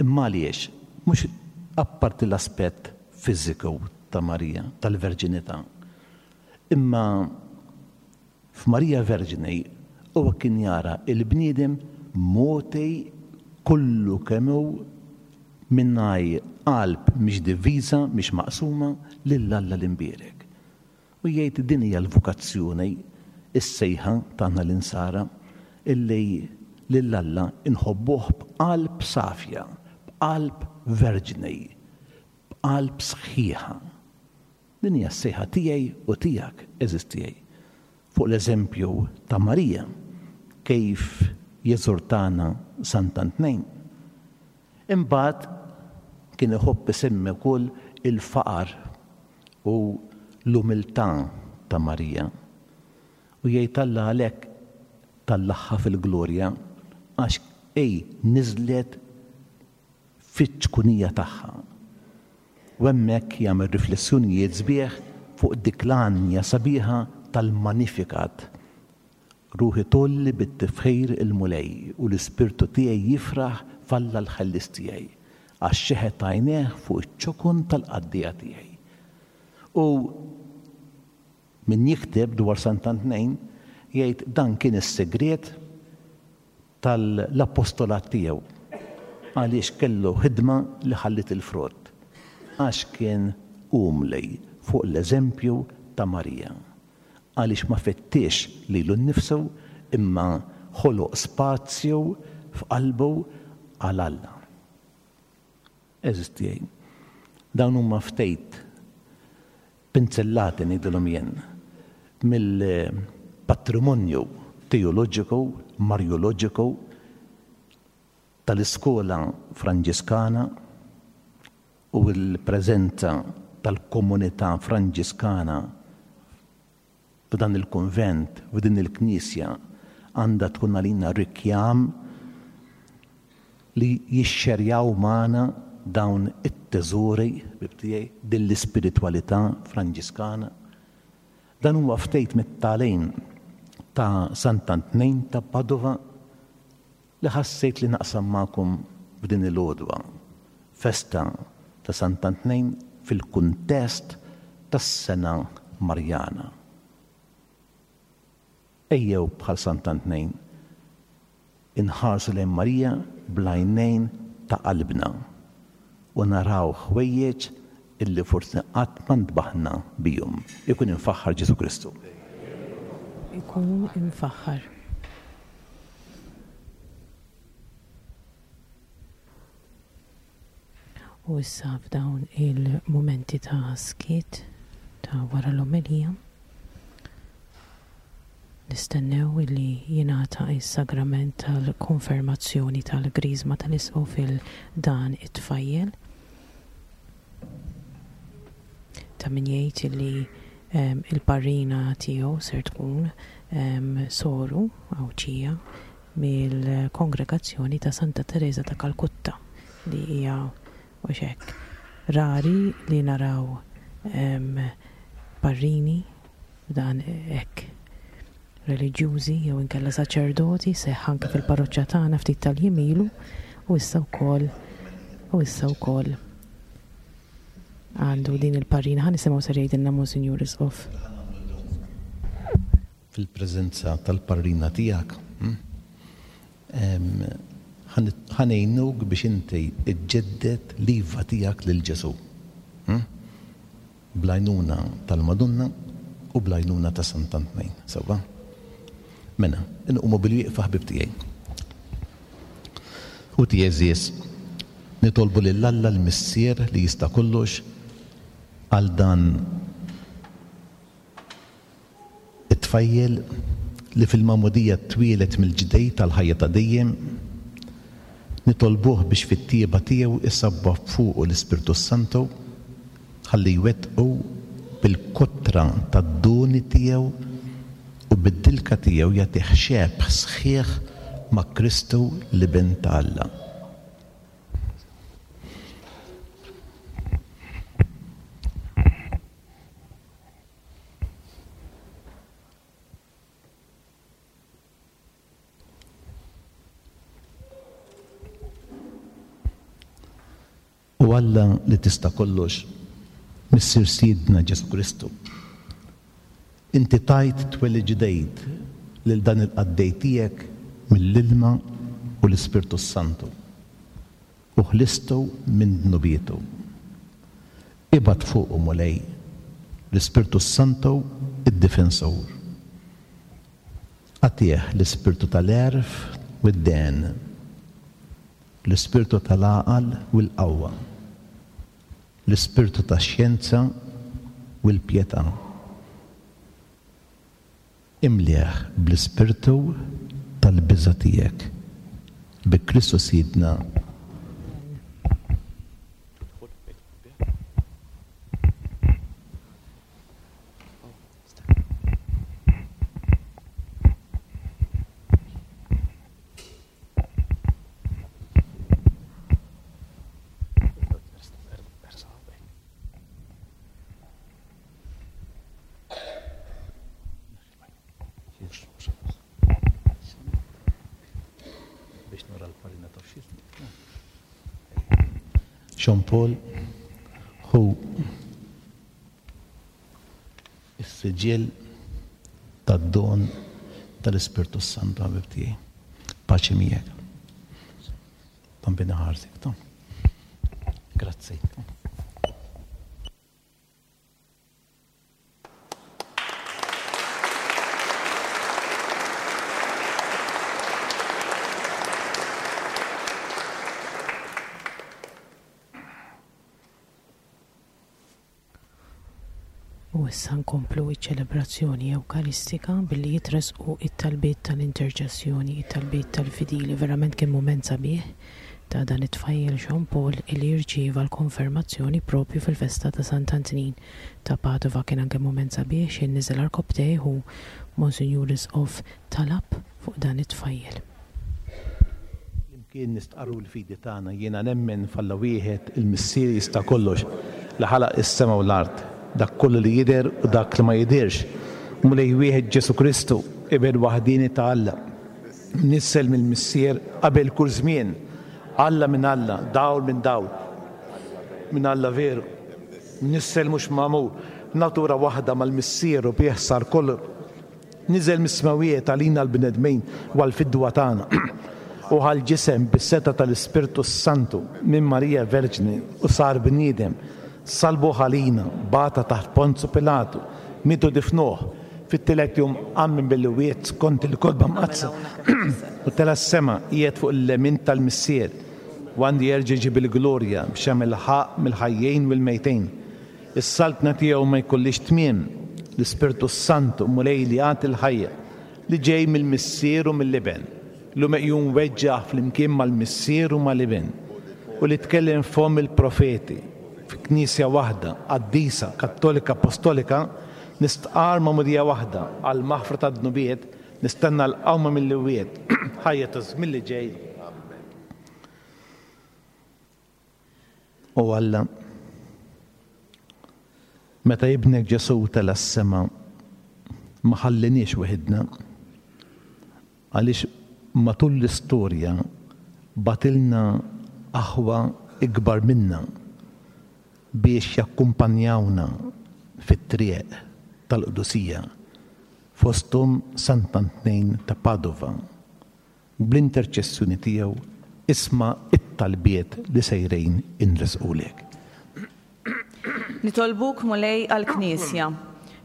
Imma għaliex? Mhux apparti l-aspett fiżiku ta' Marija, tal-verġinità. Imma f'Marija Verġni huwa kien jara l-bniedem mogħti kollu kemm hu mingħajr qalb mhix diviża, mhix maqsuma, lil Alla l-Imbierek. U jgħid din hija l-vokazzjoni, is-sejħa tagħna l-Insara, illi lil Alla nħobbuh b'qalb safja, b'qalb verġni, b'qalb sħiħa. Din hija s-sejħa tiegħi u tiegħek, għeżież tiegħi. Fuq l-eżempju ta' Marija, kif jeżortana Sant'Antnejn. Imbagħad kien iħobb isemmi wkoll il-faqar u l-umiltà ta' Marija. U jgħid Alla għalhekk tellagħha fil-glorja għax hi niżlet fiċ-ċkunija tagħha. U hemmhekk jagħmel riflessjonijiet sbieħ fuq dik l-għanja sabiħa tal-Magnificat. Ruħi tgħolli bit-tifħir il-Mulej u l-ispirtu tiegħi jifraħ f'Alla l-Ħellies tiegħi, għax xeħet għajnejh fuq iċ-ċokon tal-qaddieja tiegħi. U min jikteb dwar Sant'Antnejn jgħid dan kien is-sigriet tal-appostolat tiegħu għaliex kellu ħidma li ħalliet il-frott, għax kien umli fuq l-eżempju ta' Marija, għaliex ma fittixx lilu nnifsu imma ħoloq spazju f'qalbu għal Alla. Għeżież tiegħi, dawn huma ftit pinzellati ngħidilhom jien mill-patrimonju teoloġiku, marjoloġiku tal-iskola Franġiskana u l-preżenza tal-komunità Franġiskana f'dan il-kunvent, f'din il-knisja għandha tkun għalina rikjam li jixxerjaw magħna dawn it-teżori, ħbieb tiegħi, din l-ispiritwalità Franġiskana. Dan huwa ftit mit-tagħlim ta' Sant'Antnin ta' Padova li ħassejt li naqsam magħkom f'din il-għodwa, festa ta' Sant'Antnin fil-kuntest tas-Sena Marjana. Ejjew bħal Sant'Antnin inħarsu lejn Marija bl-għajnejn ta' qalbna u naraw ħwejjeġ illi forsi qatt ma ntbaħna bihom. Ikun imfaħħar Ġesù Kristu. Ikun imfaħħar. U issa f'dawn il-mumenti ta' skiet ta' wara l-omelija, nistennew illi jingħata s-sagrament tal-konfermazzjoni tal-Griżma tal-Isqof il dan it-tfajjel. Ta' min jgħid illi il-parrina tiegħu ser tkun soru Għawdxija mill-Kongregazzjoni ta' Santa Tereża ta' Kalkutta li hija mhux hekk rari li naraw parrini b'dan hekk reliġjużi jew inkella saċerdoti seħħ anke fil-parroċċa tagħna ftit tal-jiem ilu u issa wkoll u issa wkoll għandu din il-parrina. Ħa nisimgħu ser jgħidilna Monsinjur Isqof. Fil-preżenza tal-parrina tiegħek, ħa ngħinuk biex inti ġġedded l-iva tiegħek lil Ġesù. Bl-għajnuna tal-Madonna u bl-għajnuna ta' Sant'Antnejn. Sewwa? Mela, inqumu bil-wieqfa ħbieb tiegħi. Ħuti għeżież, nitolbu lil Alla l-Missier li jista' kollox għal dan It-tfajjel li fil-magħmudija twieled mill-ġdid għall-ħajja ta' dejjem, nitolbuh biex fit-tjieba tiegħu isabba fuqu l-Ispirtu s-Santu ħalli jwettqu bil-kotra tad-doni tiegħu u bid-dilka tiegħu jagħtih xebh sħiħ ma' Kristu l-Iben ta' Alla. O Alla li tista' kollox, Missier Sidna Ġesù Kristu, inti tajt twelid ġdeid lil dan il-qaddej tiegħek mill-ilma u l-Ispirtu s-Santu, u ħlistu minn dnubietu. Ibgħat fuqu, Mulej, l-Ispirtu s-Santu, id-Difensur. Agħtih l-ispirtu tal-għerf u d-dehen, l-ispirtu tal-għaqal u l-qawwa, l-ispirtu tax-xjenza u l-pjetà. Imlieh bl-ispirtu tal-biża' tiegħek. Bi Kristu Sidna. Jean Paul hu Is-siġill tad-don tal-Ispirtu s-Santu ħabib tiegħi. Paċi miegħek. Tambina ħarsek, ta. Grazzi. U issa nkomplu ċ-ċelebrazzjoni Ewkaristika billi jitressqu t-talbiet tal-interċessjoni, it-talbiet tal-fidili. Verament kien mument sabiħ ta' dan it-tfajjel Jean Paul illi rċieva l-konfermazzjoni propju fil-festa ta' Sant'Antnin ta' Padova. Kien anke mument sabiħ x'ħin niżel għarkopptejh u Monsinjur Isqof talab fuq dan it-tfajjel. Flimkien nistqarru l-fidi tagħna, Jiena nemmen f'Alla wieħed, il-Missier jista' kollox, li ħalaq is-sema u l-art, dak kollu li jidher u dak li ma jidhirx, Mulej wieħed Ġesù Kristu, Iben waħdieni ta' Alla, mnissel mill-Missier qabel kull żmien, Alla minn Alla, dawl minn dawl, minn Alla veru, mnissel mhux magħmul, natura waħda mal-Missier u bih sar kollu. Niżel mis-smewwiet għalina l-bnedmin u għall-fidwa tagħna, u ħa l-ġisem bis-setgħa tal-Ispirtu s-Santu minn Marija Verġni u sar bniedem, sallbuh għalina, bata taħt Ponzu Pilatu, miet u difnuh, fit-tielet jum qam minn bil-iwiet skont il-Kotba Mqaddsa, u tela' s-sema, qiegħed fuq il-lemin tal-Missier, u għandu jerġa' jiġi bil-glorja biex jagħmel ħaqq mill-ħajjin u l-mejtin. Is-saltna tiegħu ma jkollhiex tmiem. L-Ispirtu s-Santu, Mulej li jagħti l-ħajja, li ġej mill-Missier u mill-Iben, li hu meqjum weġġah flimkien mal-Missier u mal-Iben, u li tkellem f'fomm il-profeti, fi Knisja waħda, qaddisa, kattolika, appostolika, nistqarr magħmudija waħda għall-maħfra tad-dnubiet, nistenna l-qawma mill-imwiet, ħajja taż-żmien li ġej. Amen. O Alla, meta Ibnek Ġesù tela' s-sema, ma ħalliniex weħidna, għaliex matul l-istorja bagħtilna aħwa ikbar minna biex jakkumpanjawna fit-triq tal-qdusija, fosthom Sant'Antnin ta' Padova. Bl-interċessjoni tiegħu isma' t-talbiet li sejrin inressqulek. Nitolbuk, Mulej, għall-Knisja,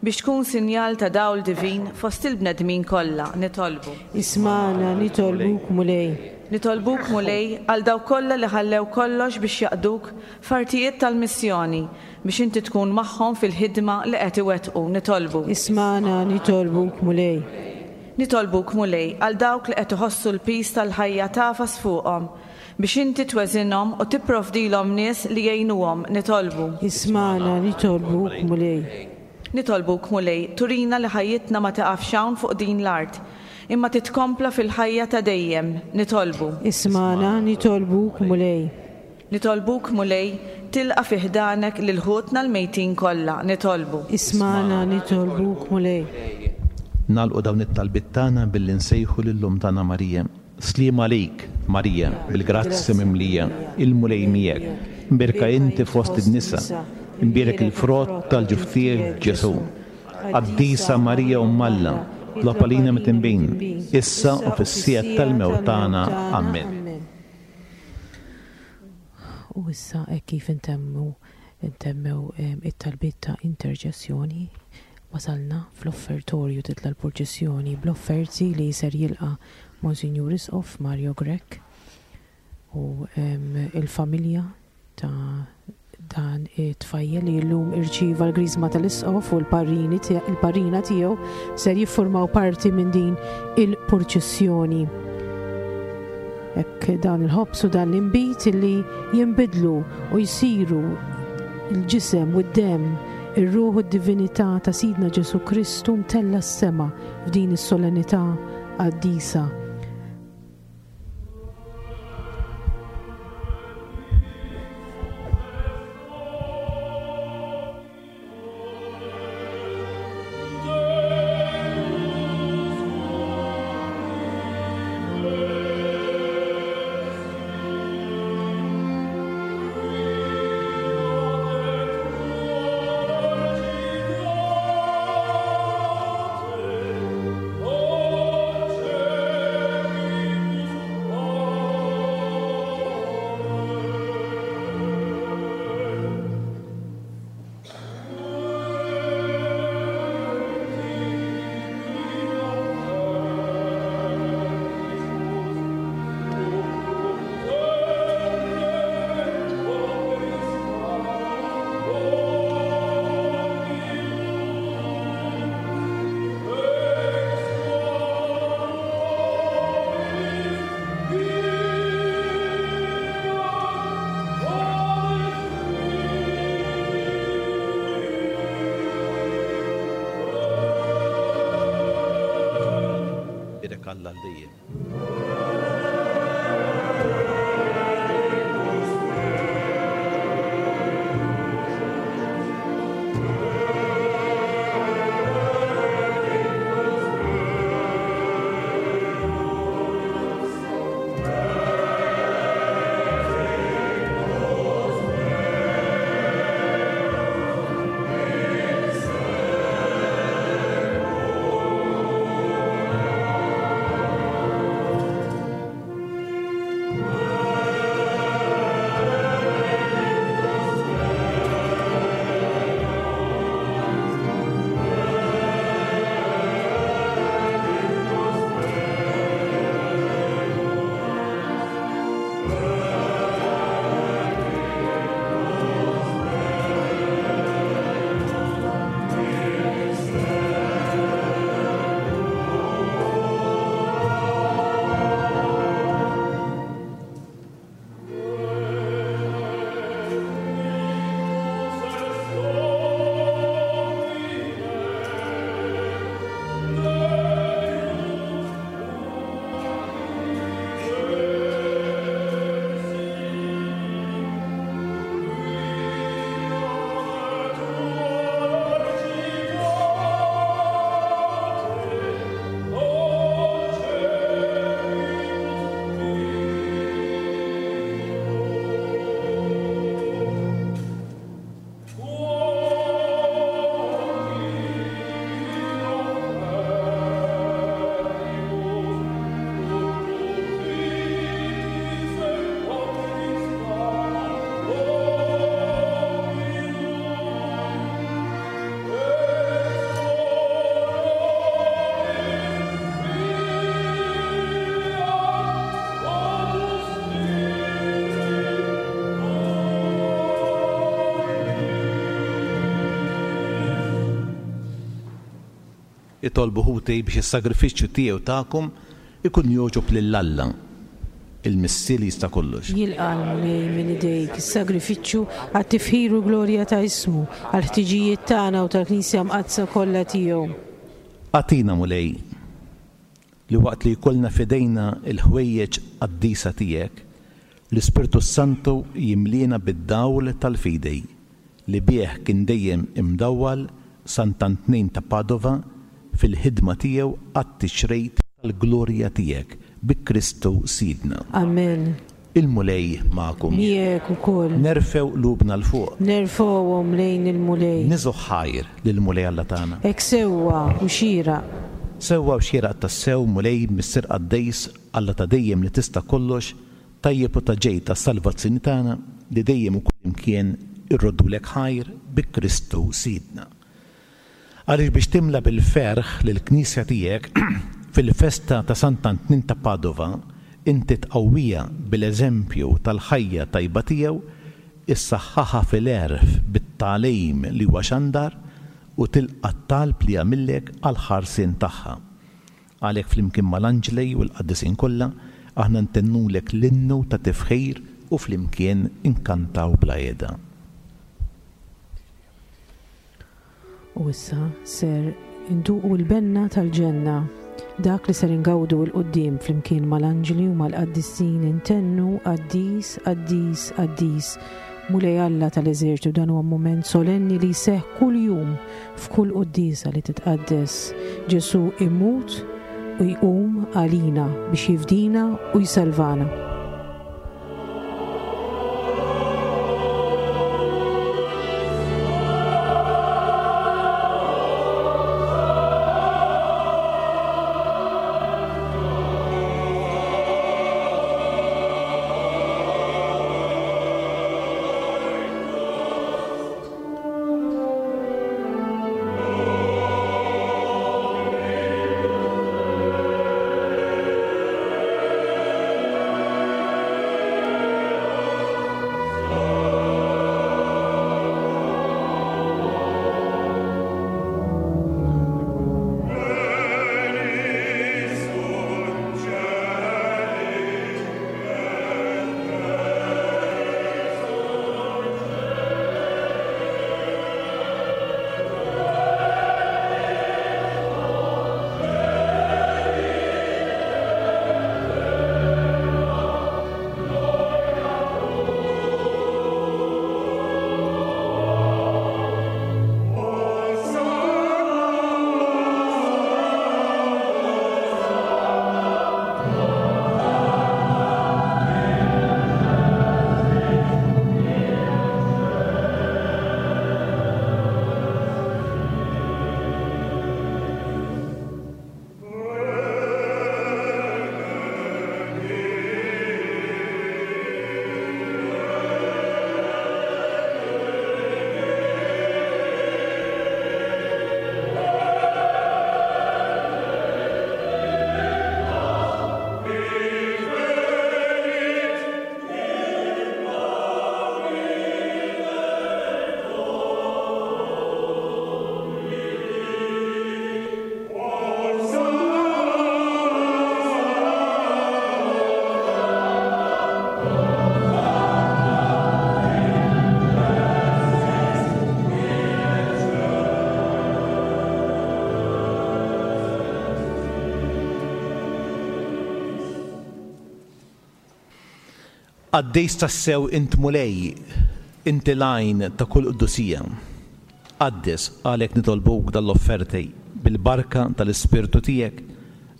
biex tkun sinjal ta' dawl divin fost il-bnedmin kollha. Nitolbu. Ismagħna, nitolbuk, Mulej. Nitolbuk, Mulej, għal dawk kollha li ħallew kollox biex jaqduk f'artijiet tal-missjoni, biex inti tkun magħhom fil-ħidma li qed iwettqu. Nitolbu. Ismagħna, nitolbuk, Mulej. Nitolbuk, Mulej, għal dawk li qed iħossu l-piż tal-ħajja tagħfas fuqhom, biex inti tweżinhom u tipprovdilhom nies li jgħinuhom, nitolbu. Ismagħna, nitolbuk, Mulej. Nitolbuk, Mulej, turina li ħajjitna ma tiqafx hawn fuq din l-art, imma titkompla fil-ħajja ta' dejjem, nitolbu. Ismagħna, nitolbuk, Mulej. Nitolbuk, Mulej, tilqa' fi ħdanek lil ħutna l-mejtin kollha. Nitolbu. Ismagħna, nitolbuk, Mulej. Nagħlqu dawn it-talbiet tagħna billi nsejħu lil Omm tagħna Marija. Sliem għalik, Marija, bil-grazzja mimlija, il-Mulej miegħek. Imbierka inti fost in-nisa, imbierek il-frott tal-ġuf tiegħek, Ġesù. Qaddisa Marija Omm Alla, tlob għalina midinbin, issa u fis-siegħa tal-mewt tagħna. Ammen. U issa hekk kif intemmu ntemmew it-talbiet ta' interċessjoni, wasalna fl-offertorju titla' l-purċissjoni bl-offerti li ser jilqa' Monsinjur Isqof Mario Grech u il-familja ta' dan it-tfajjel li llum irċieva l-griżma tal-Isqof u l-parrini il-parrina tiegħu ser jiffurmaw parti minn din il-purċissjoni. Hekk dan il-ħobż u dan l-inbid li jinbidlu u jsiru l-ġisem u d-demm, ir-ruħ u d-divinità ta' Sidna Ġesù Kristu mtella' s-sema f'din is-solennità qaddisa. Bierek Alla għal dejjem. Itolbu ħuti biex is-sagrifiċċju tiegħi u tagħkom ikun jogħġob lil Alla, il-Missier li jista' kollox. Jilqa' l-Mulej minn idejk is-sagrifiċċju għat-tifħir u l-glorja ta' ismu, għall-ħtiġijiet tagħna u tal-Knisja Mqaddsa kollha tiegħu. Agħtina, Mulej, li waqt li jkollna f'idejna l-ħwejjeġ qaddisa tiegħek, l-Ispirtu s-Santu jimliena bid-dawl tal-fidi li bih kien dejjem imdawwal Sant'Antnin ta' Padova fil-ħidma tiegħu għat-tixrid tal-glorja tiegħek, bi Kristu Sidna. Amen. Il-Mulej magħkom. Miegħek ukoll. Nerfgħu qlubna 'l fuq. Nerfgħuhom lejn il-Mulej. Niżgħu ħajr lill-Mulej Alla tagħna. Hekk sewwa u xieraq. Sewwa u xieraq tassew, Mulej, Missier qaddis, Alla ta' dejjem li tista' kollox, tajjeb u ta' ġid għas-salvazzjoni tagħna, li dejjem u kullimkien irroddulek ħajr bi Kristu Sidna. Għaliex biex timla bil-ferħ lill-Knisja tiegħek fil-festa ta' Sant'Antnin ta' Padova, inti tqawwiha bil-eżempju tal-ħajja tajba tiegħu, issaħħaħha fil-għerf bit-tagħlim li huwa xandar u tilqa' t-talb li jagħmillek għall-ħarsien tagħha. Għalhekk flimkien mal-anġli u l-qaddisin kollha, aħna ntennulek l-innu ta' tifħir u flimkien inkantaw bla heda. U issa ser induqu l-benna tal-ġenna, dak li ser ingawdu 'l quddiem flimkien mal-anġli u mal-qaddisin intennu, Qaddis, qaddis, qaddis, Mulej Alla tal-eżerċtu. Dan huwa mument solenni li jseħħ kuljum f'kull quddiesa li titqaddes. Ġesù imut u jqum għalina biex jifdina u jsalvana. Qaddis tassew int Mulej, inti l-għajn ta' kull qdusija. Qaddes, għalhekk nitolbuk dan l-offerti bil-barka tal-Ispirtu tiegħek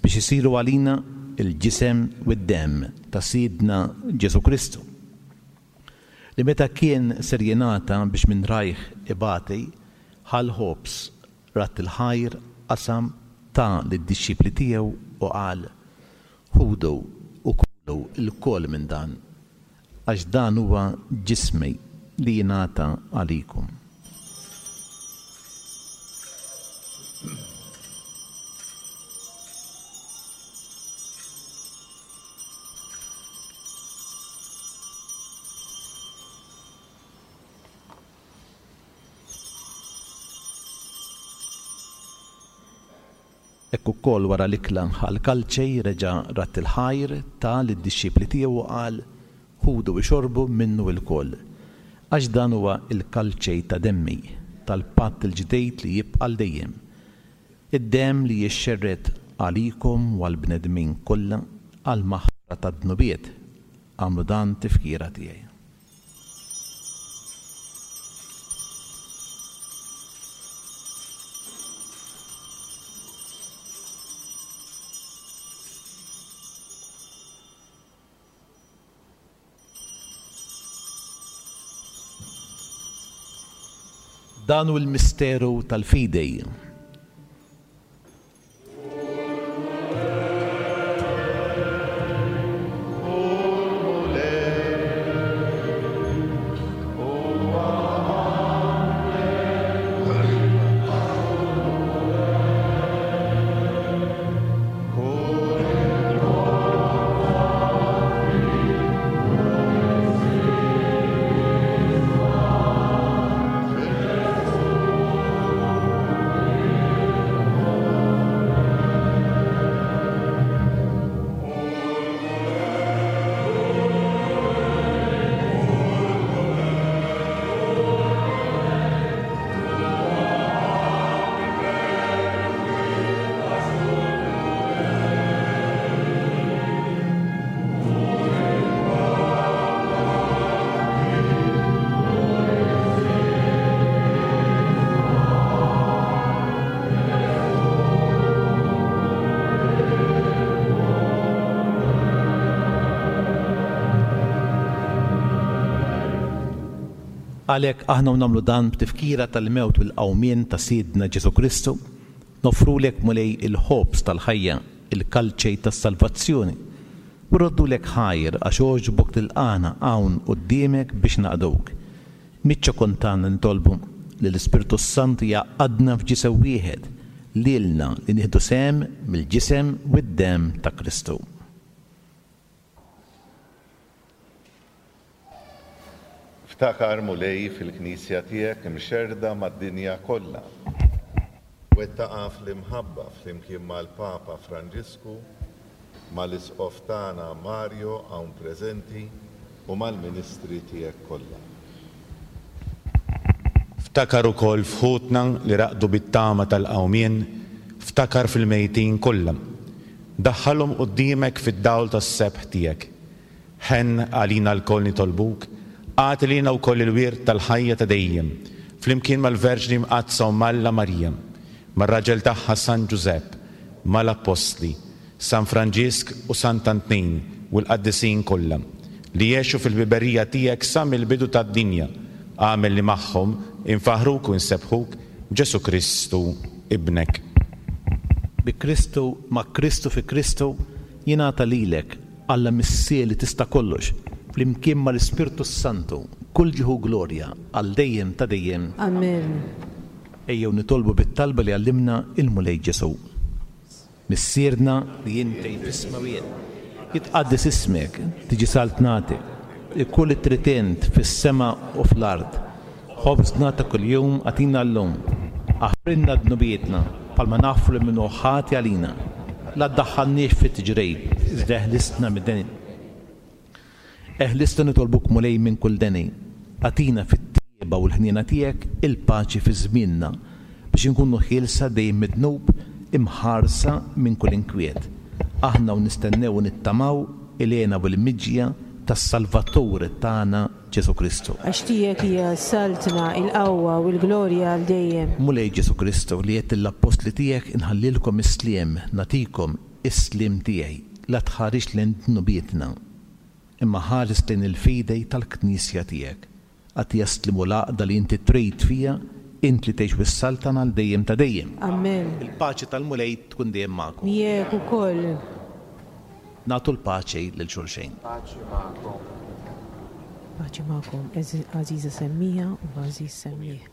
biex isiru għalina l-ġisem u d-demm ta' Sidna Ġesù Kristu, li meta kien ser jingħata biex minn rajh ibati, ħa l-ħobż, radd il-ħajr, qasam, ta lid-dixxipli tiegħu u qal, Ħudu u kulu lkoll minn dan, għax dan huwa ġismi li jingħata għalikom. Hekk ukoll wara l-ikla ħa l-kalċe, reġa' radd il-ħajr, ta lid-dixxipli tiegħu u qal, Ħudu ixorbu minnu ilkoll, għax dan huwa l-kalċe ta' demmi, tal-patt il-ġdid li jibqa' għal dejjem, id-demm li jixxerred għalikom u għall-bnedmin kollha għall-maħfra tad-dnubiet. Agħmlu dan tifkira tiegħi. Dan hu l-misteru tal-fidi. Għalhekk aħna u nagħmlu dan b'tifkira tal-mewt u l-qawmien ta' Sidna Ġesù Kristu, noffrulek Mulej il-ħobż tal-ħajja, il-kalċej tas-salvazzjoni, u rroddulek ħajr għax għoġbok tilqagħna hawn quddiemek biex naqduk. Miċ-ċokon tagħna nitolbu li l-Ispirtu s-Santu jgħaqqadna f'ġisem wieħed, lilna li nieħdu sehem mill-ġisem u d-demm ta' Kristu. Ftakar, Mulej, fil-Knisja tiegħek imxerrda mad-dinja kollha. Wettaqha fl-imħabba flimkien mal-Papa Franġisku, mal-Isqof tagħna Mario hawn preżenti u mal-ministri tiegħek kollha. Ftakar ukoll f'ħutna li raqdu bit-tama tal-qawmien, ftakar fil-mejtin kollha. Daħħalhom quddiemek fid-dawl tas-sebħ tiegħek. Ħenn għalina lkoll nitolbuk, agħti lilna wkoll il-wirt tal-ħajja ta' dejjem, flimkien mal-Verġni Mqaddsa Omm Alla Marija, mar-raġel tagħha San Ġużepp, mal-Appostli, San Franġisk u Sant'Antnin u l-qaddisin kollha, li għexu fil-ħbiberija tiegħek sa mill-bidu tad-dinja, agħmel li magħhom infaħħruk u nsebbħuk b'Ġesù Kristu, Ibnek. Bi Kristu, ma' Kristu fi Kristu, jingħata lilek, Alla Missier li tista' kollox, flimkien mal-Ispirtu s-Santu, kull ġieħ u glorja, għal dejjem ta' dejjem. Amen. Ejjew nitolbu bit-talba li għallimna l-Mulej Ġesù. Missierna li inti fis-smewwiet, jitqaddes ismek, tiġi saltnatek, ikun li trid int fis-sema u fl-art. Ħobżna ta' kuljum agħtina llum. Aħfrilna dnubietna, bħalma naħfru lil min hu ħati għalina. La ddaħħalniex fit-tiġrib, iżda eħlisna mid-deni. Eħlisna nitolbuk Mulej minn kull deni. Agħtina fit-tjieba u l-ħniena tiegħek il-paċi fi żmienna, biex inkunu ħielsa dejjem mid-dnub, imħarsa minn kull inkwiet. Aħna u nistennew u nittamaw il-hena u l-miġja tas-Salvatur tagħna Ġesù Kristu. Għax tiegħek hija s-saltna, il-qawwa u l-glorja għal dejjem. Mulej Ġesù Kristu, li għedt lill-appostli tiegħek inħallilkom is-sliem, nagħtikom is-sliem tiegħi, la tħarisx lejn dnubietna, imma ħares lejn il-fidej tal-Knisja tiegħek. Agħtiha s-sliem u l-għaqda li inti trid fiha, int li tgħix u ssaltan għal dejjem ta' dejjem. Amen. Il-paċi tal-Mulej tkun dejjem magħkom. Miegħek ukoll. Nagħtu l-paċi lil xulxin. Paċi magħkom. Paċi magħkom, għażiża semmija u għażiż semmieħ.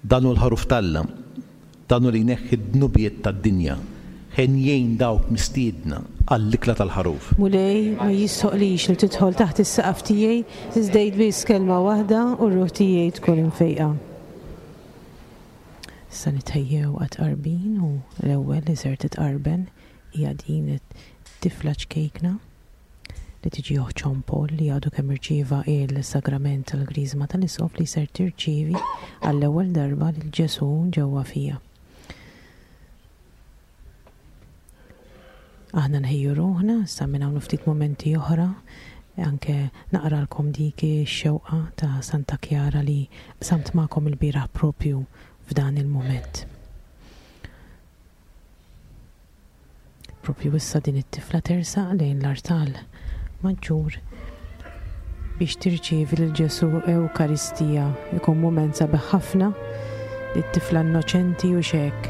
Dan hu l-Ħaruf t'Alla, dan hu li jneħħi d-dnubiet tad-dinja. Henjin dawk mistiedna għall-ikla tal-Ħaruf. Mulej, ma jistħoqqlix li tidħol taħt is-saqaf tiegħi, iżda għid biss kelma waħda u r-ruħ tiegħi tkun imfejqa. Issa nitħejjew għat-tqarbin u l-ewwel li ser titqarben hija din it-tifla ċkejkna li tiġi oħt Jean Paul li għadu kemm irċieva il-sagrament tal-Griżma tal-Isqof li ser tirċievi għall-ewwel darba lil Ġesù ġewwa fija. Aħna nħejju ruħna, sa minn hawn ftit momenti oħra, anke naqralkom dik ix-xewqa ta' Santa Kjara li qsamt magħkom il-bieraħ propju f'dan il-mument. Propju issa din it-tifla tersaq lejn l-artal maġġur biex tirċievi lil Ġesù Ewkaristija. Ikun mument sabiħ ħafna li t-tifla innoċenti u xek.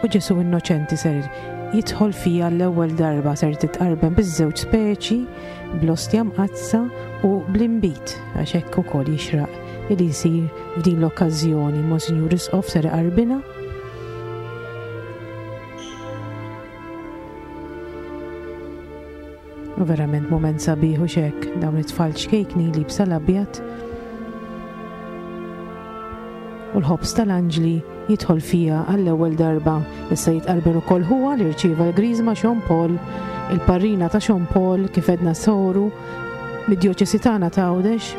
U Ġesù innoċenti ser jidħol fija l-ewwel darba ser titqarben biż-żewġ speċi, bl-ostja mqaddsa u bl-inbid għax hekk ukoll jixraq li jsir f'din l-okkażjoni. Monsinjur Isqof ser iqarbinha. U verament mument sabiħ u xek, dawn it-tfal ċkejkni li bsa l-abjad. U l-ħobż tal-anġli jidħol fija għall-ewwel darba. Issa jitqarben ukoll huwa li rċieva l-griżma Sean Paul, il-parrina ta' Sean Paul kif edna soru mid-djoċesi tagħna ta' Għawdex.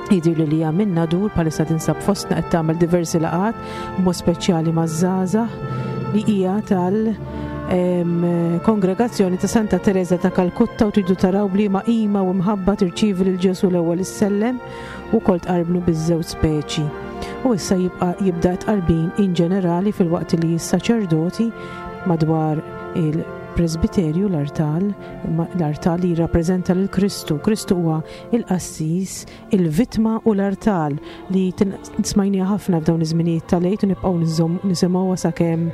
Jidhirli li hija minn Nadur bħalissa tinsab fostna qed tagħmel diversi laqgħat b'mod speċjali maż-żgħażagħ li hija tal kongregazzjoni ta' Santa Teresa ta' Kalkutta u tridu taraw b'liema qima u mħabba tirċievi lil Ġesù l-ewwel issellem u wkoll tqarbnu biż-żewġ speċi. U issa jibqa' jibda t-tqarbin in ġenerali filwaqt li s-saċerdoti madwar il-presbiterju l-artal l-artal li jirrappreżenta lil Kristu. Kristu huwa il-qassis, il-vittma u l-artal li smajniha ħafna f'dawn iż-żminijiet tal-Għid u nibqgħu nisimgħuha sakemm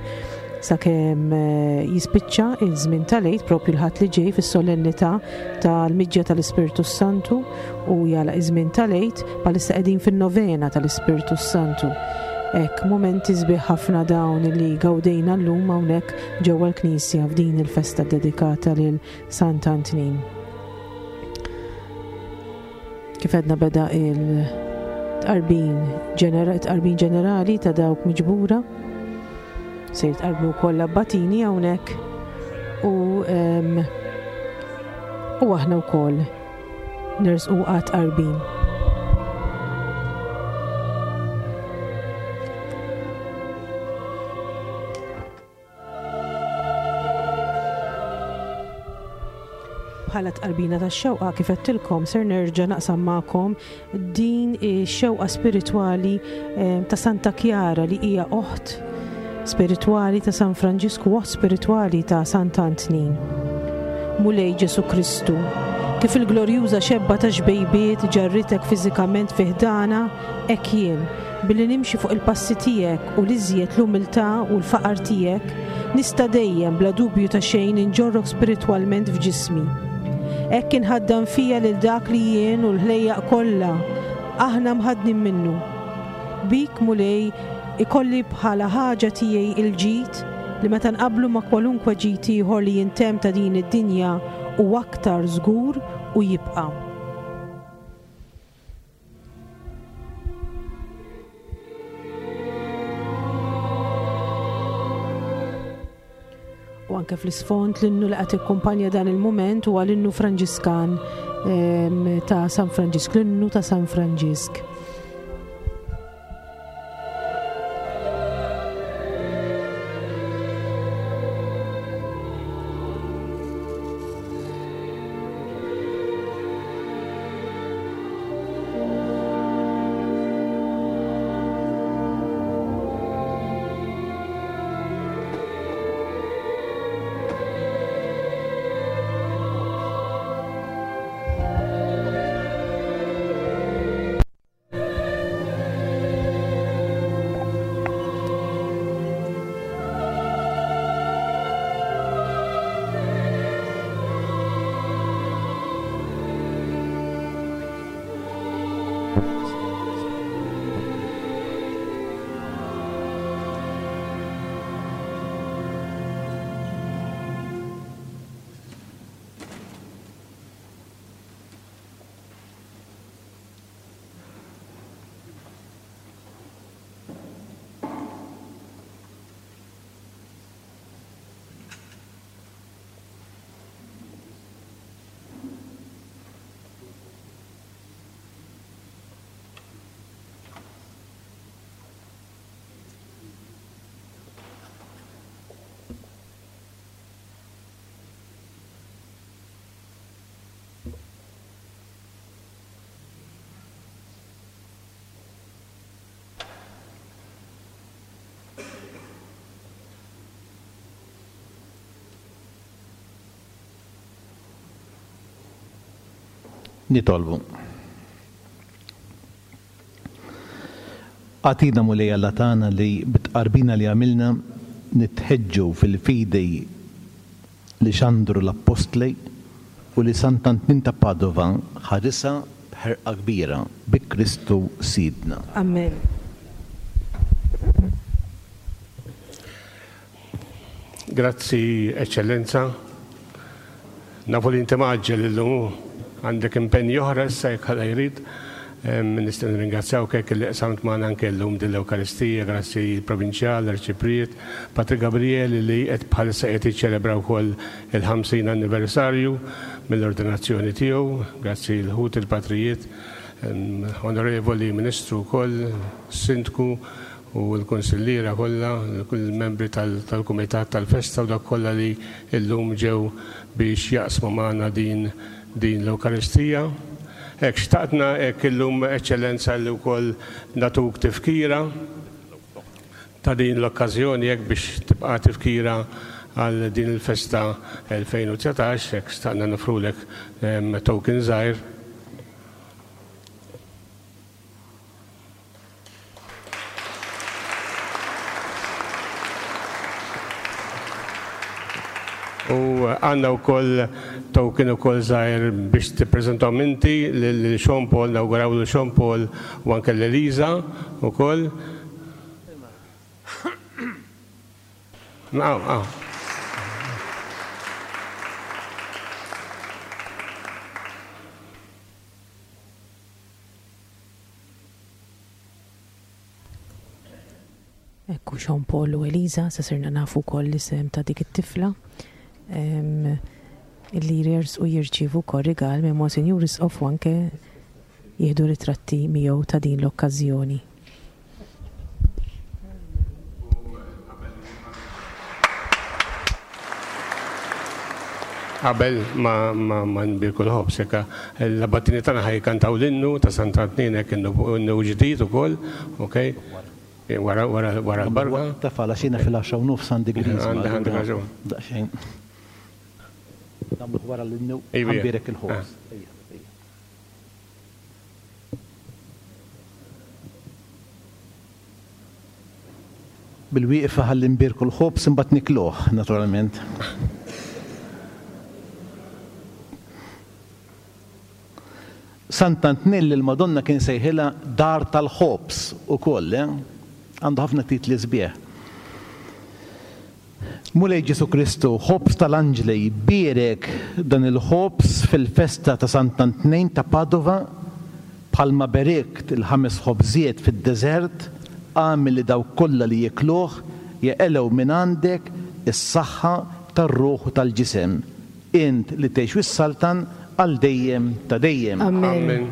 sakemm eh, jispiċċa il-żmien tal-Għid propju l-Ħadd li ġej fis-solennità tal-miġja tal-Ispirtu Santu u jagħlaq iż-żmien tal-Għid bħalissa qegħdin fin-novena tal-Ispirtu Santu. Hekk mumenti sbieħ ħafna dawn li gawdejna llum hawnhekk ġewwa l-Knisja f'din il-festa dedikata lil Sant'Antnin. Kif għedna beda il-tqarbin tqarbin ġenerali ta' dawk miġbura. Se jitqarbnu wkoll l-abbatini hawnhekk u u aħna wkoll nersqu għat-tqarbin. Bħala tqarbina tax-xewqa kif għedtilkom ser nerġa' naqsam magħkom din ix-xewqa spiritwali eh, ta' Santa Kjara li hija oħt spiritwali ta' San Franġisku, oħt spiritwali ta' Sant Antnin. Mulej Ġesu Kristu, kif il-glorjuża xebba ta' xbejbiet ġarritek fiżikament fi ħdana, hekk jien, Billi nimxi fuq il-passi tiegħek u l-iżjed l-umiltà u l-faqar tiegħek, nista' dejjem bla dubju ta' xejn inġorrok spiritwalment f'ġismi. Hekk inħaddan fija lil dak li jien u l-ħlejjaq kollha aħna mħaddnin minnu. Bik, Mulej, ikolli bħala ħaġa tiegħi il-ġid li meta nqabblu ma' kwalunkwe ġid ieħor li jintemm ta' din id-dinja hu aktar żgur u jibqa'. U anke fl-isfond l-innu li qed ikkumpanja dan il-mument huwa l-innu Franġiskan ehm, ta' San Franġisk, l-innu ta' San Franġisk. Nitolbu. Agħtina Mulej Alla tagħna li bit-tqarbina li għamilna nitħeġġu fil-fidi li xandru l-Appostli u li Sant'Antnin ta' Padova ħarisha b'ħerqa kbira bi Kristu Sidna. Amen. Grazzi, Eċċellenza. Nafu li inti mgħaġġel illum hu. Għandek impenji oħra issa jekk Alla jrid. Nistgħu nirringrazzjawk hekk li qsamt magħna anke llum din l-Ewkaristija, grazzi l-Provinċjal, l-Arċipriet, Patri Gabriel li qed bħalissa qiegħed jiċċelebra wkoll il-50 anniversarju mill-ordinazzjoni tiegħu, grazzi l-ħut il-patrijiet, Onorevoli Ministru wkoll, Sindku, u l-kunsilliera kollha, il-membri tal-kumitat tal-festa u dawk kollha li llum ġew biex jaqsmu magħna din din l-Ewkaristija. Hekk xtaqtna hekk illum Eċċellenza li wkoll nagħtuk tifkira ta' din l-okkażjoni hekk biex tibqa' tifkira għal din il-festa 2019, hekk xtaqna nofrulek token żgħir. U għandna wkoll token ukoll żgħir biex tippreżentahom inti lil Sean Paul, nawguraw lil Sean Paul u anke lil Eliza wkoll. Aw, aw. Ekku Sean Paul u Eliza, sa sirna nafu wkoll l-isem ta' dik it-tifla illi jersqu jirċievu wkoll rigal minn Monsinjur Isqof u anke jieħdu ritratti miegħu ta' din l-okkażjoni. Qabel ma ma ma nbierku l-ħobż hekk l-abbatini tagħna ħa jkantaw l-innu ta' Sant'Antnin hekk innu innu ġdid ukoll, okej? Wara wara wara l-barka. Taf għala x'jiena fil-għaxra u nofs għandi griżma. Għandek għandek raġun. Daqsxejn. Nagħmluh wara l-innu ħa nbierek il-ħobż. Ejja, ejja. Bil-wieqfa ħalli nbierku l-ħobż imbagħad nikluh, naturalment. Sant'Antnin lill-Madonna kien sejħilha Dar tal-Ħobż ukoll, eh? Għandu ħafna titli sbieħ. Mulej Ġesù Kristu, ħobż tal-anġli, bierek dan il-ħobż fil-festa ta' Sant'Antnin ta' Padova, bħalma berikt il-ħames ħobżiet fid-deżert, agħmel li dawk kollha li jiekluh jeqilgħu mingħandek is-saħħa tar-ruħ u tal-ġisem, int li tgħix u ssaltan għal dejjem ta' dejjem. Amen.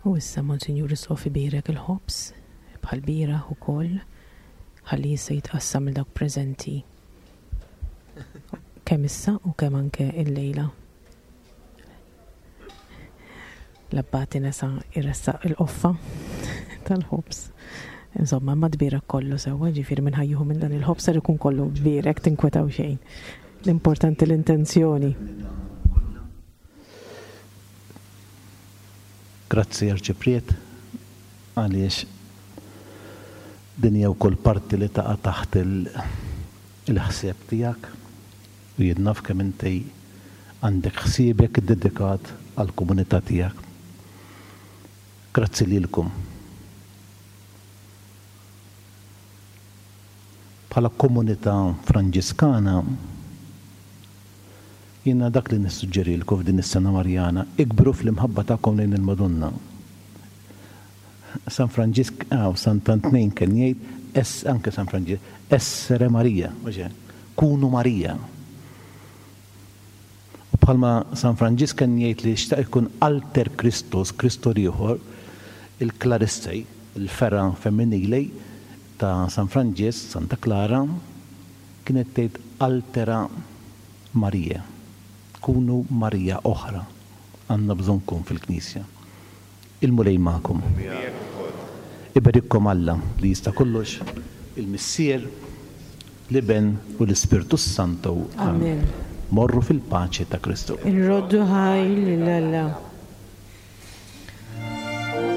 U issa Monsinjur Isqof ibierek il-ħobż. Bħall-bieraħ ukoll, ħalli issa jitqassam lil dawk preżenti kemm issa u kemm anke illejla. L-abbati nesa jressaq il-qoffa tal-ħobż. Insomma, ma tbierek kollu sewwa, ġifieri minn ħajjuhu minn dan il-ħobż ser ikun kollu tbierek tinkwetaw xejn. L-importanti l-intenzjoni. Grazzi Arċipriet. Għaliex din hija wkoll parti li taqa' taħt il-ħsieb tiegħek u jien naf kemm inti għandek ħsiebek iddedikat għall-komunità tiegħek. Grazzi lilkom. Bħala komunità Franġiskana, jiena dak li nissuġġerilkom f'din is-Sena Marjana, ikbru fl-imħabba tagħkom lejn il-Madonna. San Franġisk, aw, Sant'Antnin kien jgħid, es, anke San Franġisk, essere Maria, mhux hekk? Kunu Marija. U bħalma San Franġisk kien jgħid li xtaq ikun alter Christus, Kristu l-ieħor, il-Clarissej, il-fergħa femminili ta' San Franġisk, Santa Klara, kienet tgħid altera Maria. Kunu Marija oħra. Għandna bżonnkom fil-Knisja. Il-Mulej magħkom. U miegħek ukoll. Iberikkom Alla li jista' kollox, il-Missier, l-Iben u l-Ispirtu s-Santu. Amen. Morru fil-paċi ta' Kristu. Inroddu ħajr lil Alla.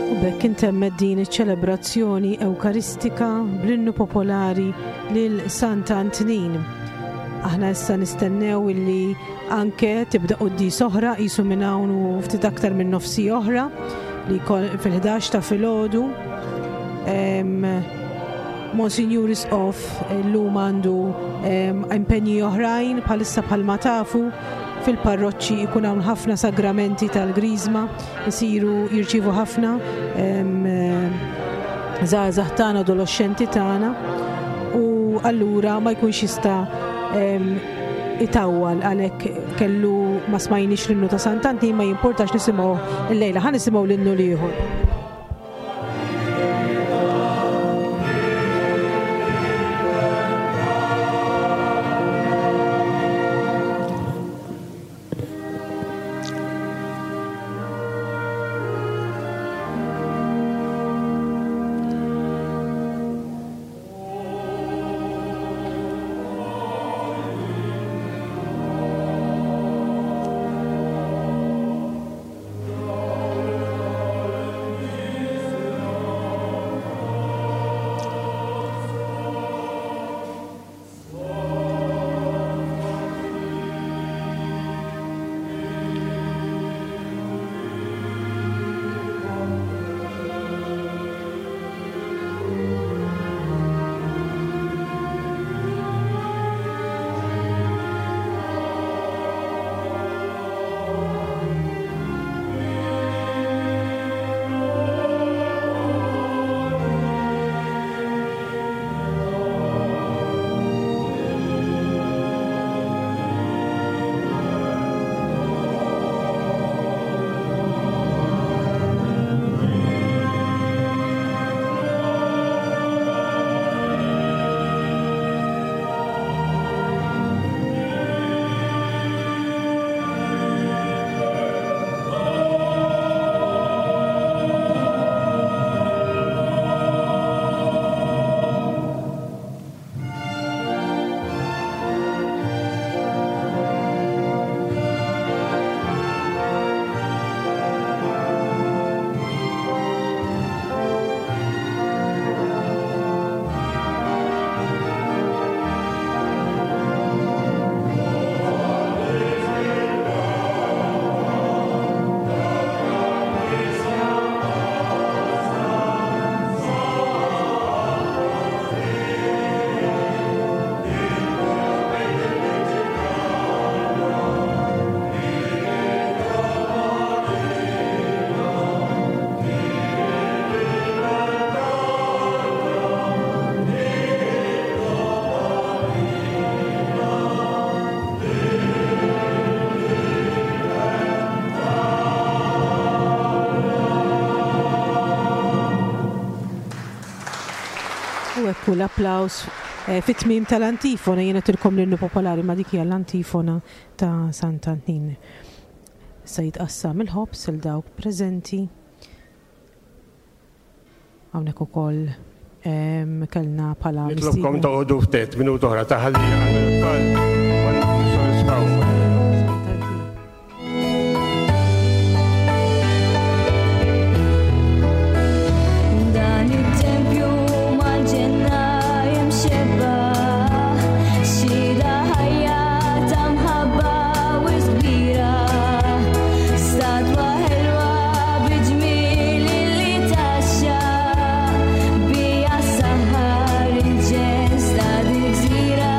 U b'hekk intemmet din iċ-ċelebrazzjoni Ewkaristika bl-innu popolari lil Sant Antnin. Aħna issa nistennew illi anke tibda quddies oħra qisu minn hawn u ftit aktar minn nofsi oħra li fil-11 ta' filgħodu. Monsinjur Isqof illum għandu impenji oħrajn bħalissa bħalma tafu fil-parroċċi jkun hawn ħafna sagramenti tal-Griżma isiru jirċievu ħafna żgħażagħ tagħna, adoloxxenti tagħna u allura ma jkunx jista' itawwal għalhekk kellu ma smajniex l-innu ta' Sant'Antnin ma jimportax nisimgħu illejla ħa nisimgħu l-innu l-ieħor. U hekk hu l-applaws eh, fit-tmiem tal-antifona jiena tilkom l-innu popolari ma dik hija l-antifona ta' Sant'Antnin. Issa jitqassam il-ħobż il dawk preżenti. Hawnhekk ukoll kellna bħala. Nitlobkom toqgħodu ftit minuta oħra ta' ħalli tfal Dan it-tempju mal-ġenna imxebbaħ, xhieda ħajja ta' mħabba wisq kbira, statwa ħelwa bi ġmiel li tgħaxxaq, biha ssaħħar il-ġens ta' dil-gżira.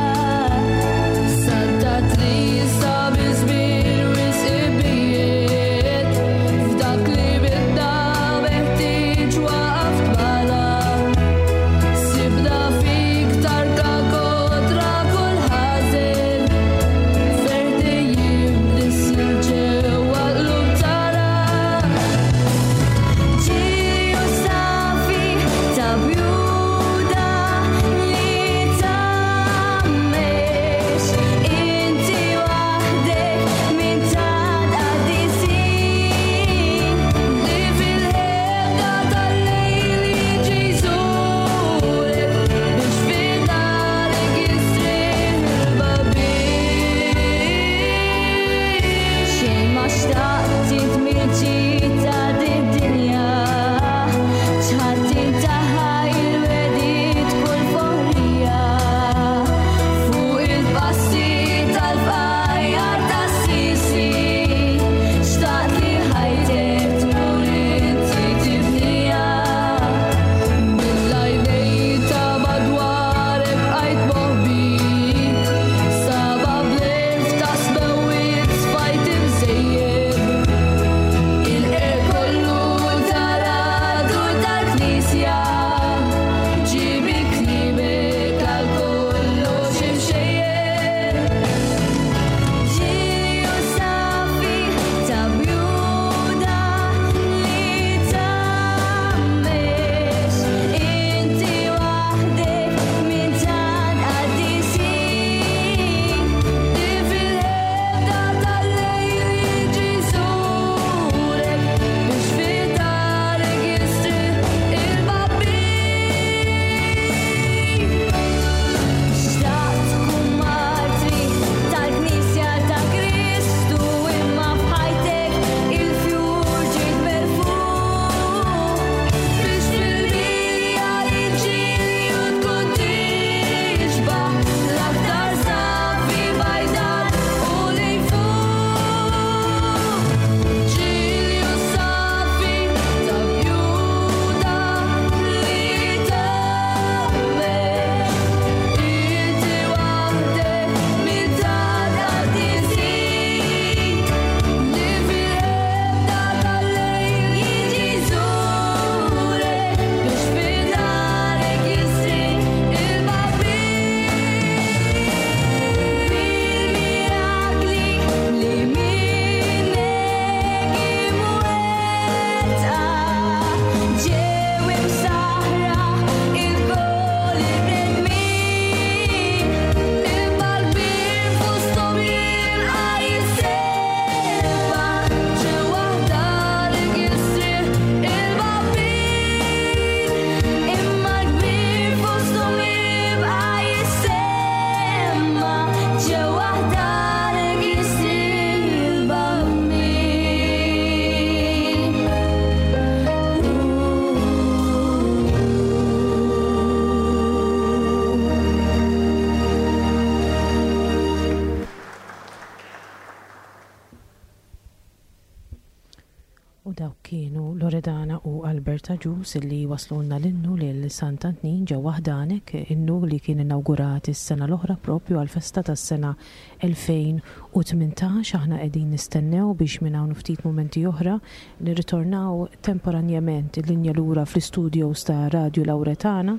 Robert Agius li waslulna l-innu lil Sant'Antnin ġewwa ħdanek, innu li kien inawgurat is-sena l-oħra propju għall-festa tas-sena 2018. Aħna qegħdin nistennew biex minn hawn u ftit mumenti oħra nirritornaw temporanjament il-linja lura fl-istudios ta' Radju Lauretana.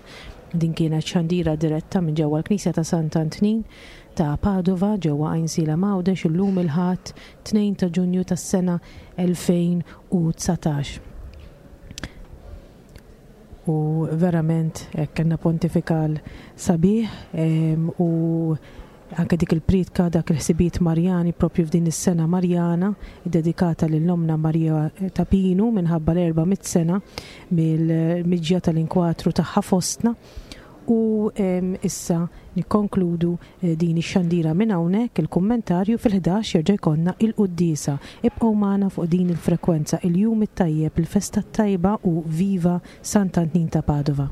Din kienet xandira diretta minn ġewwa l-Knisja ta' Sant'Antnin ta' Padova ġewwa Għajnsielem Għawdex illum il-Ħadd 2 ta' Ġunju tas-sena 2019. U verament hekk kellna pontifikal sabiħ u anke dik il-priedka, dak il-ħsibijiet Marjani propju f'din is-sena Marjana ddedikata lil Ommna Marija ta' Pinu minħabba l-400 sena mill-miġja tal-inkwatru tagħha fostna. U issa nikkonkludu din ix-xandira minn hawnhekk, il-kummentarju fil-ħdax jerġa' jkollna il-quddiesa. Ibqgħu magħna fuq din il-frekwenza. Il-jum it-tajjeb, il-festa t-tajba u viva Sant'Antnin ta' Padova.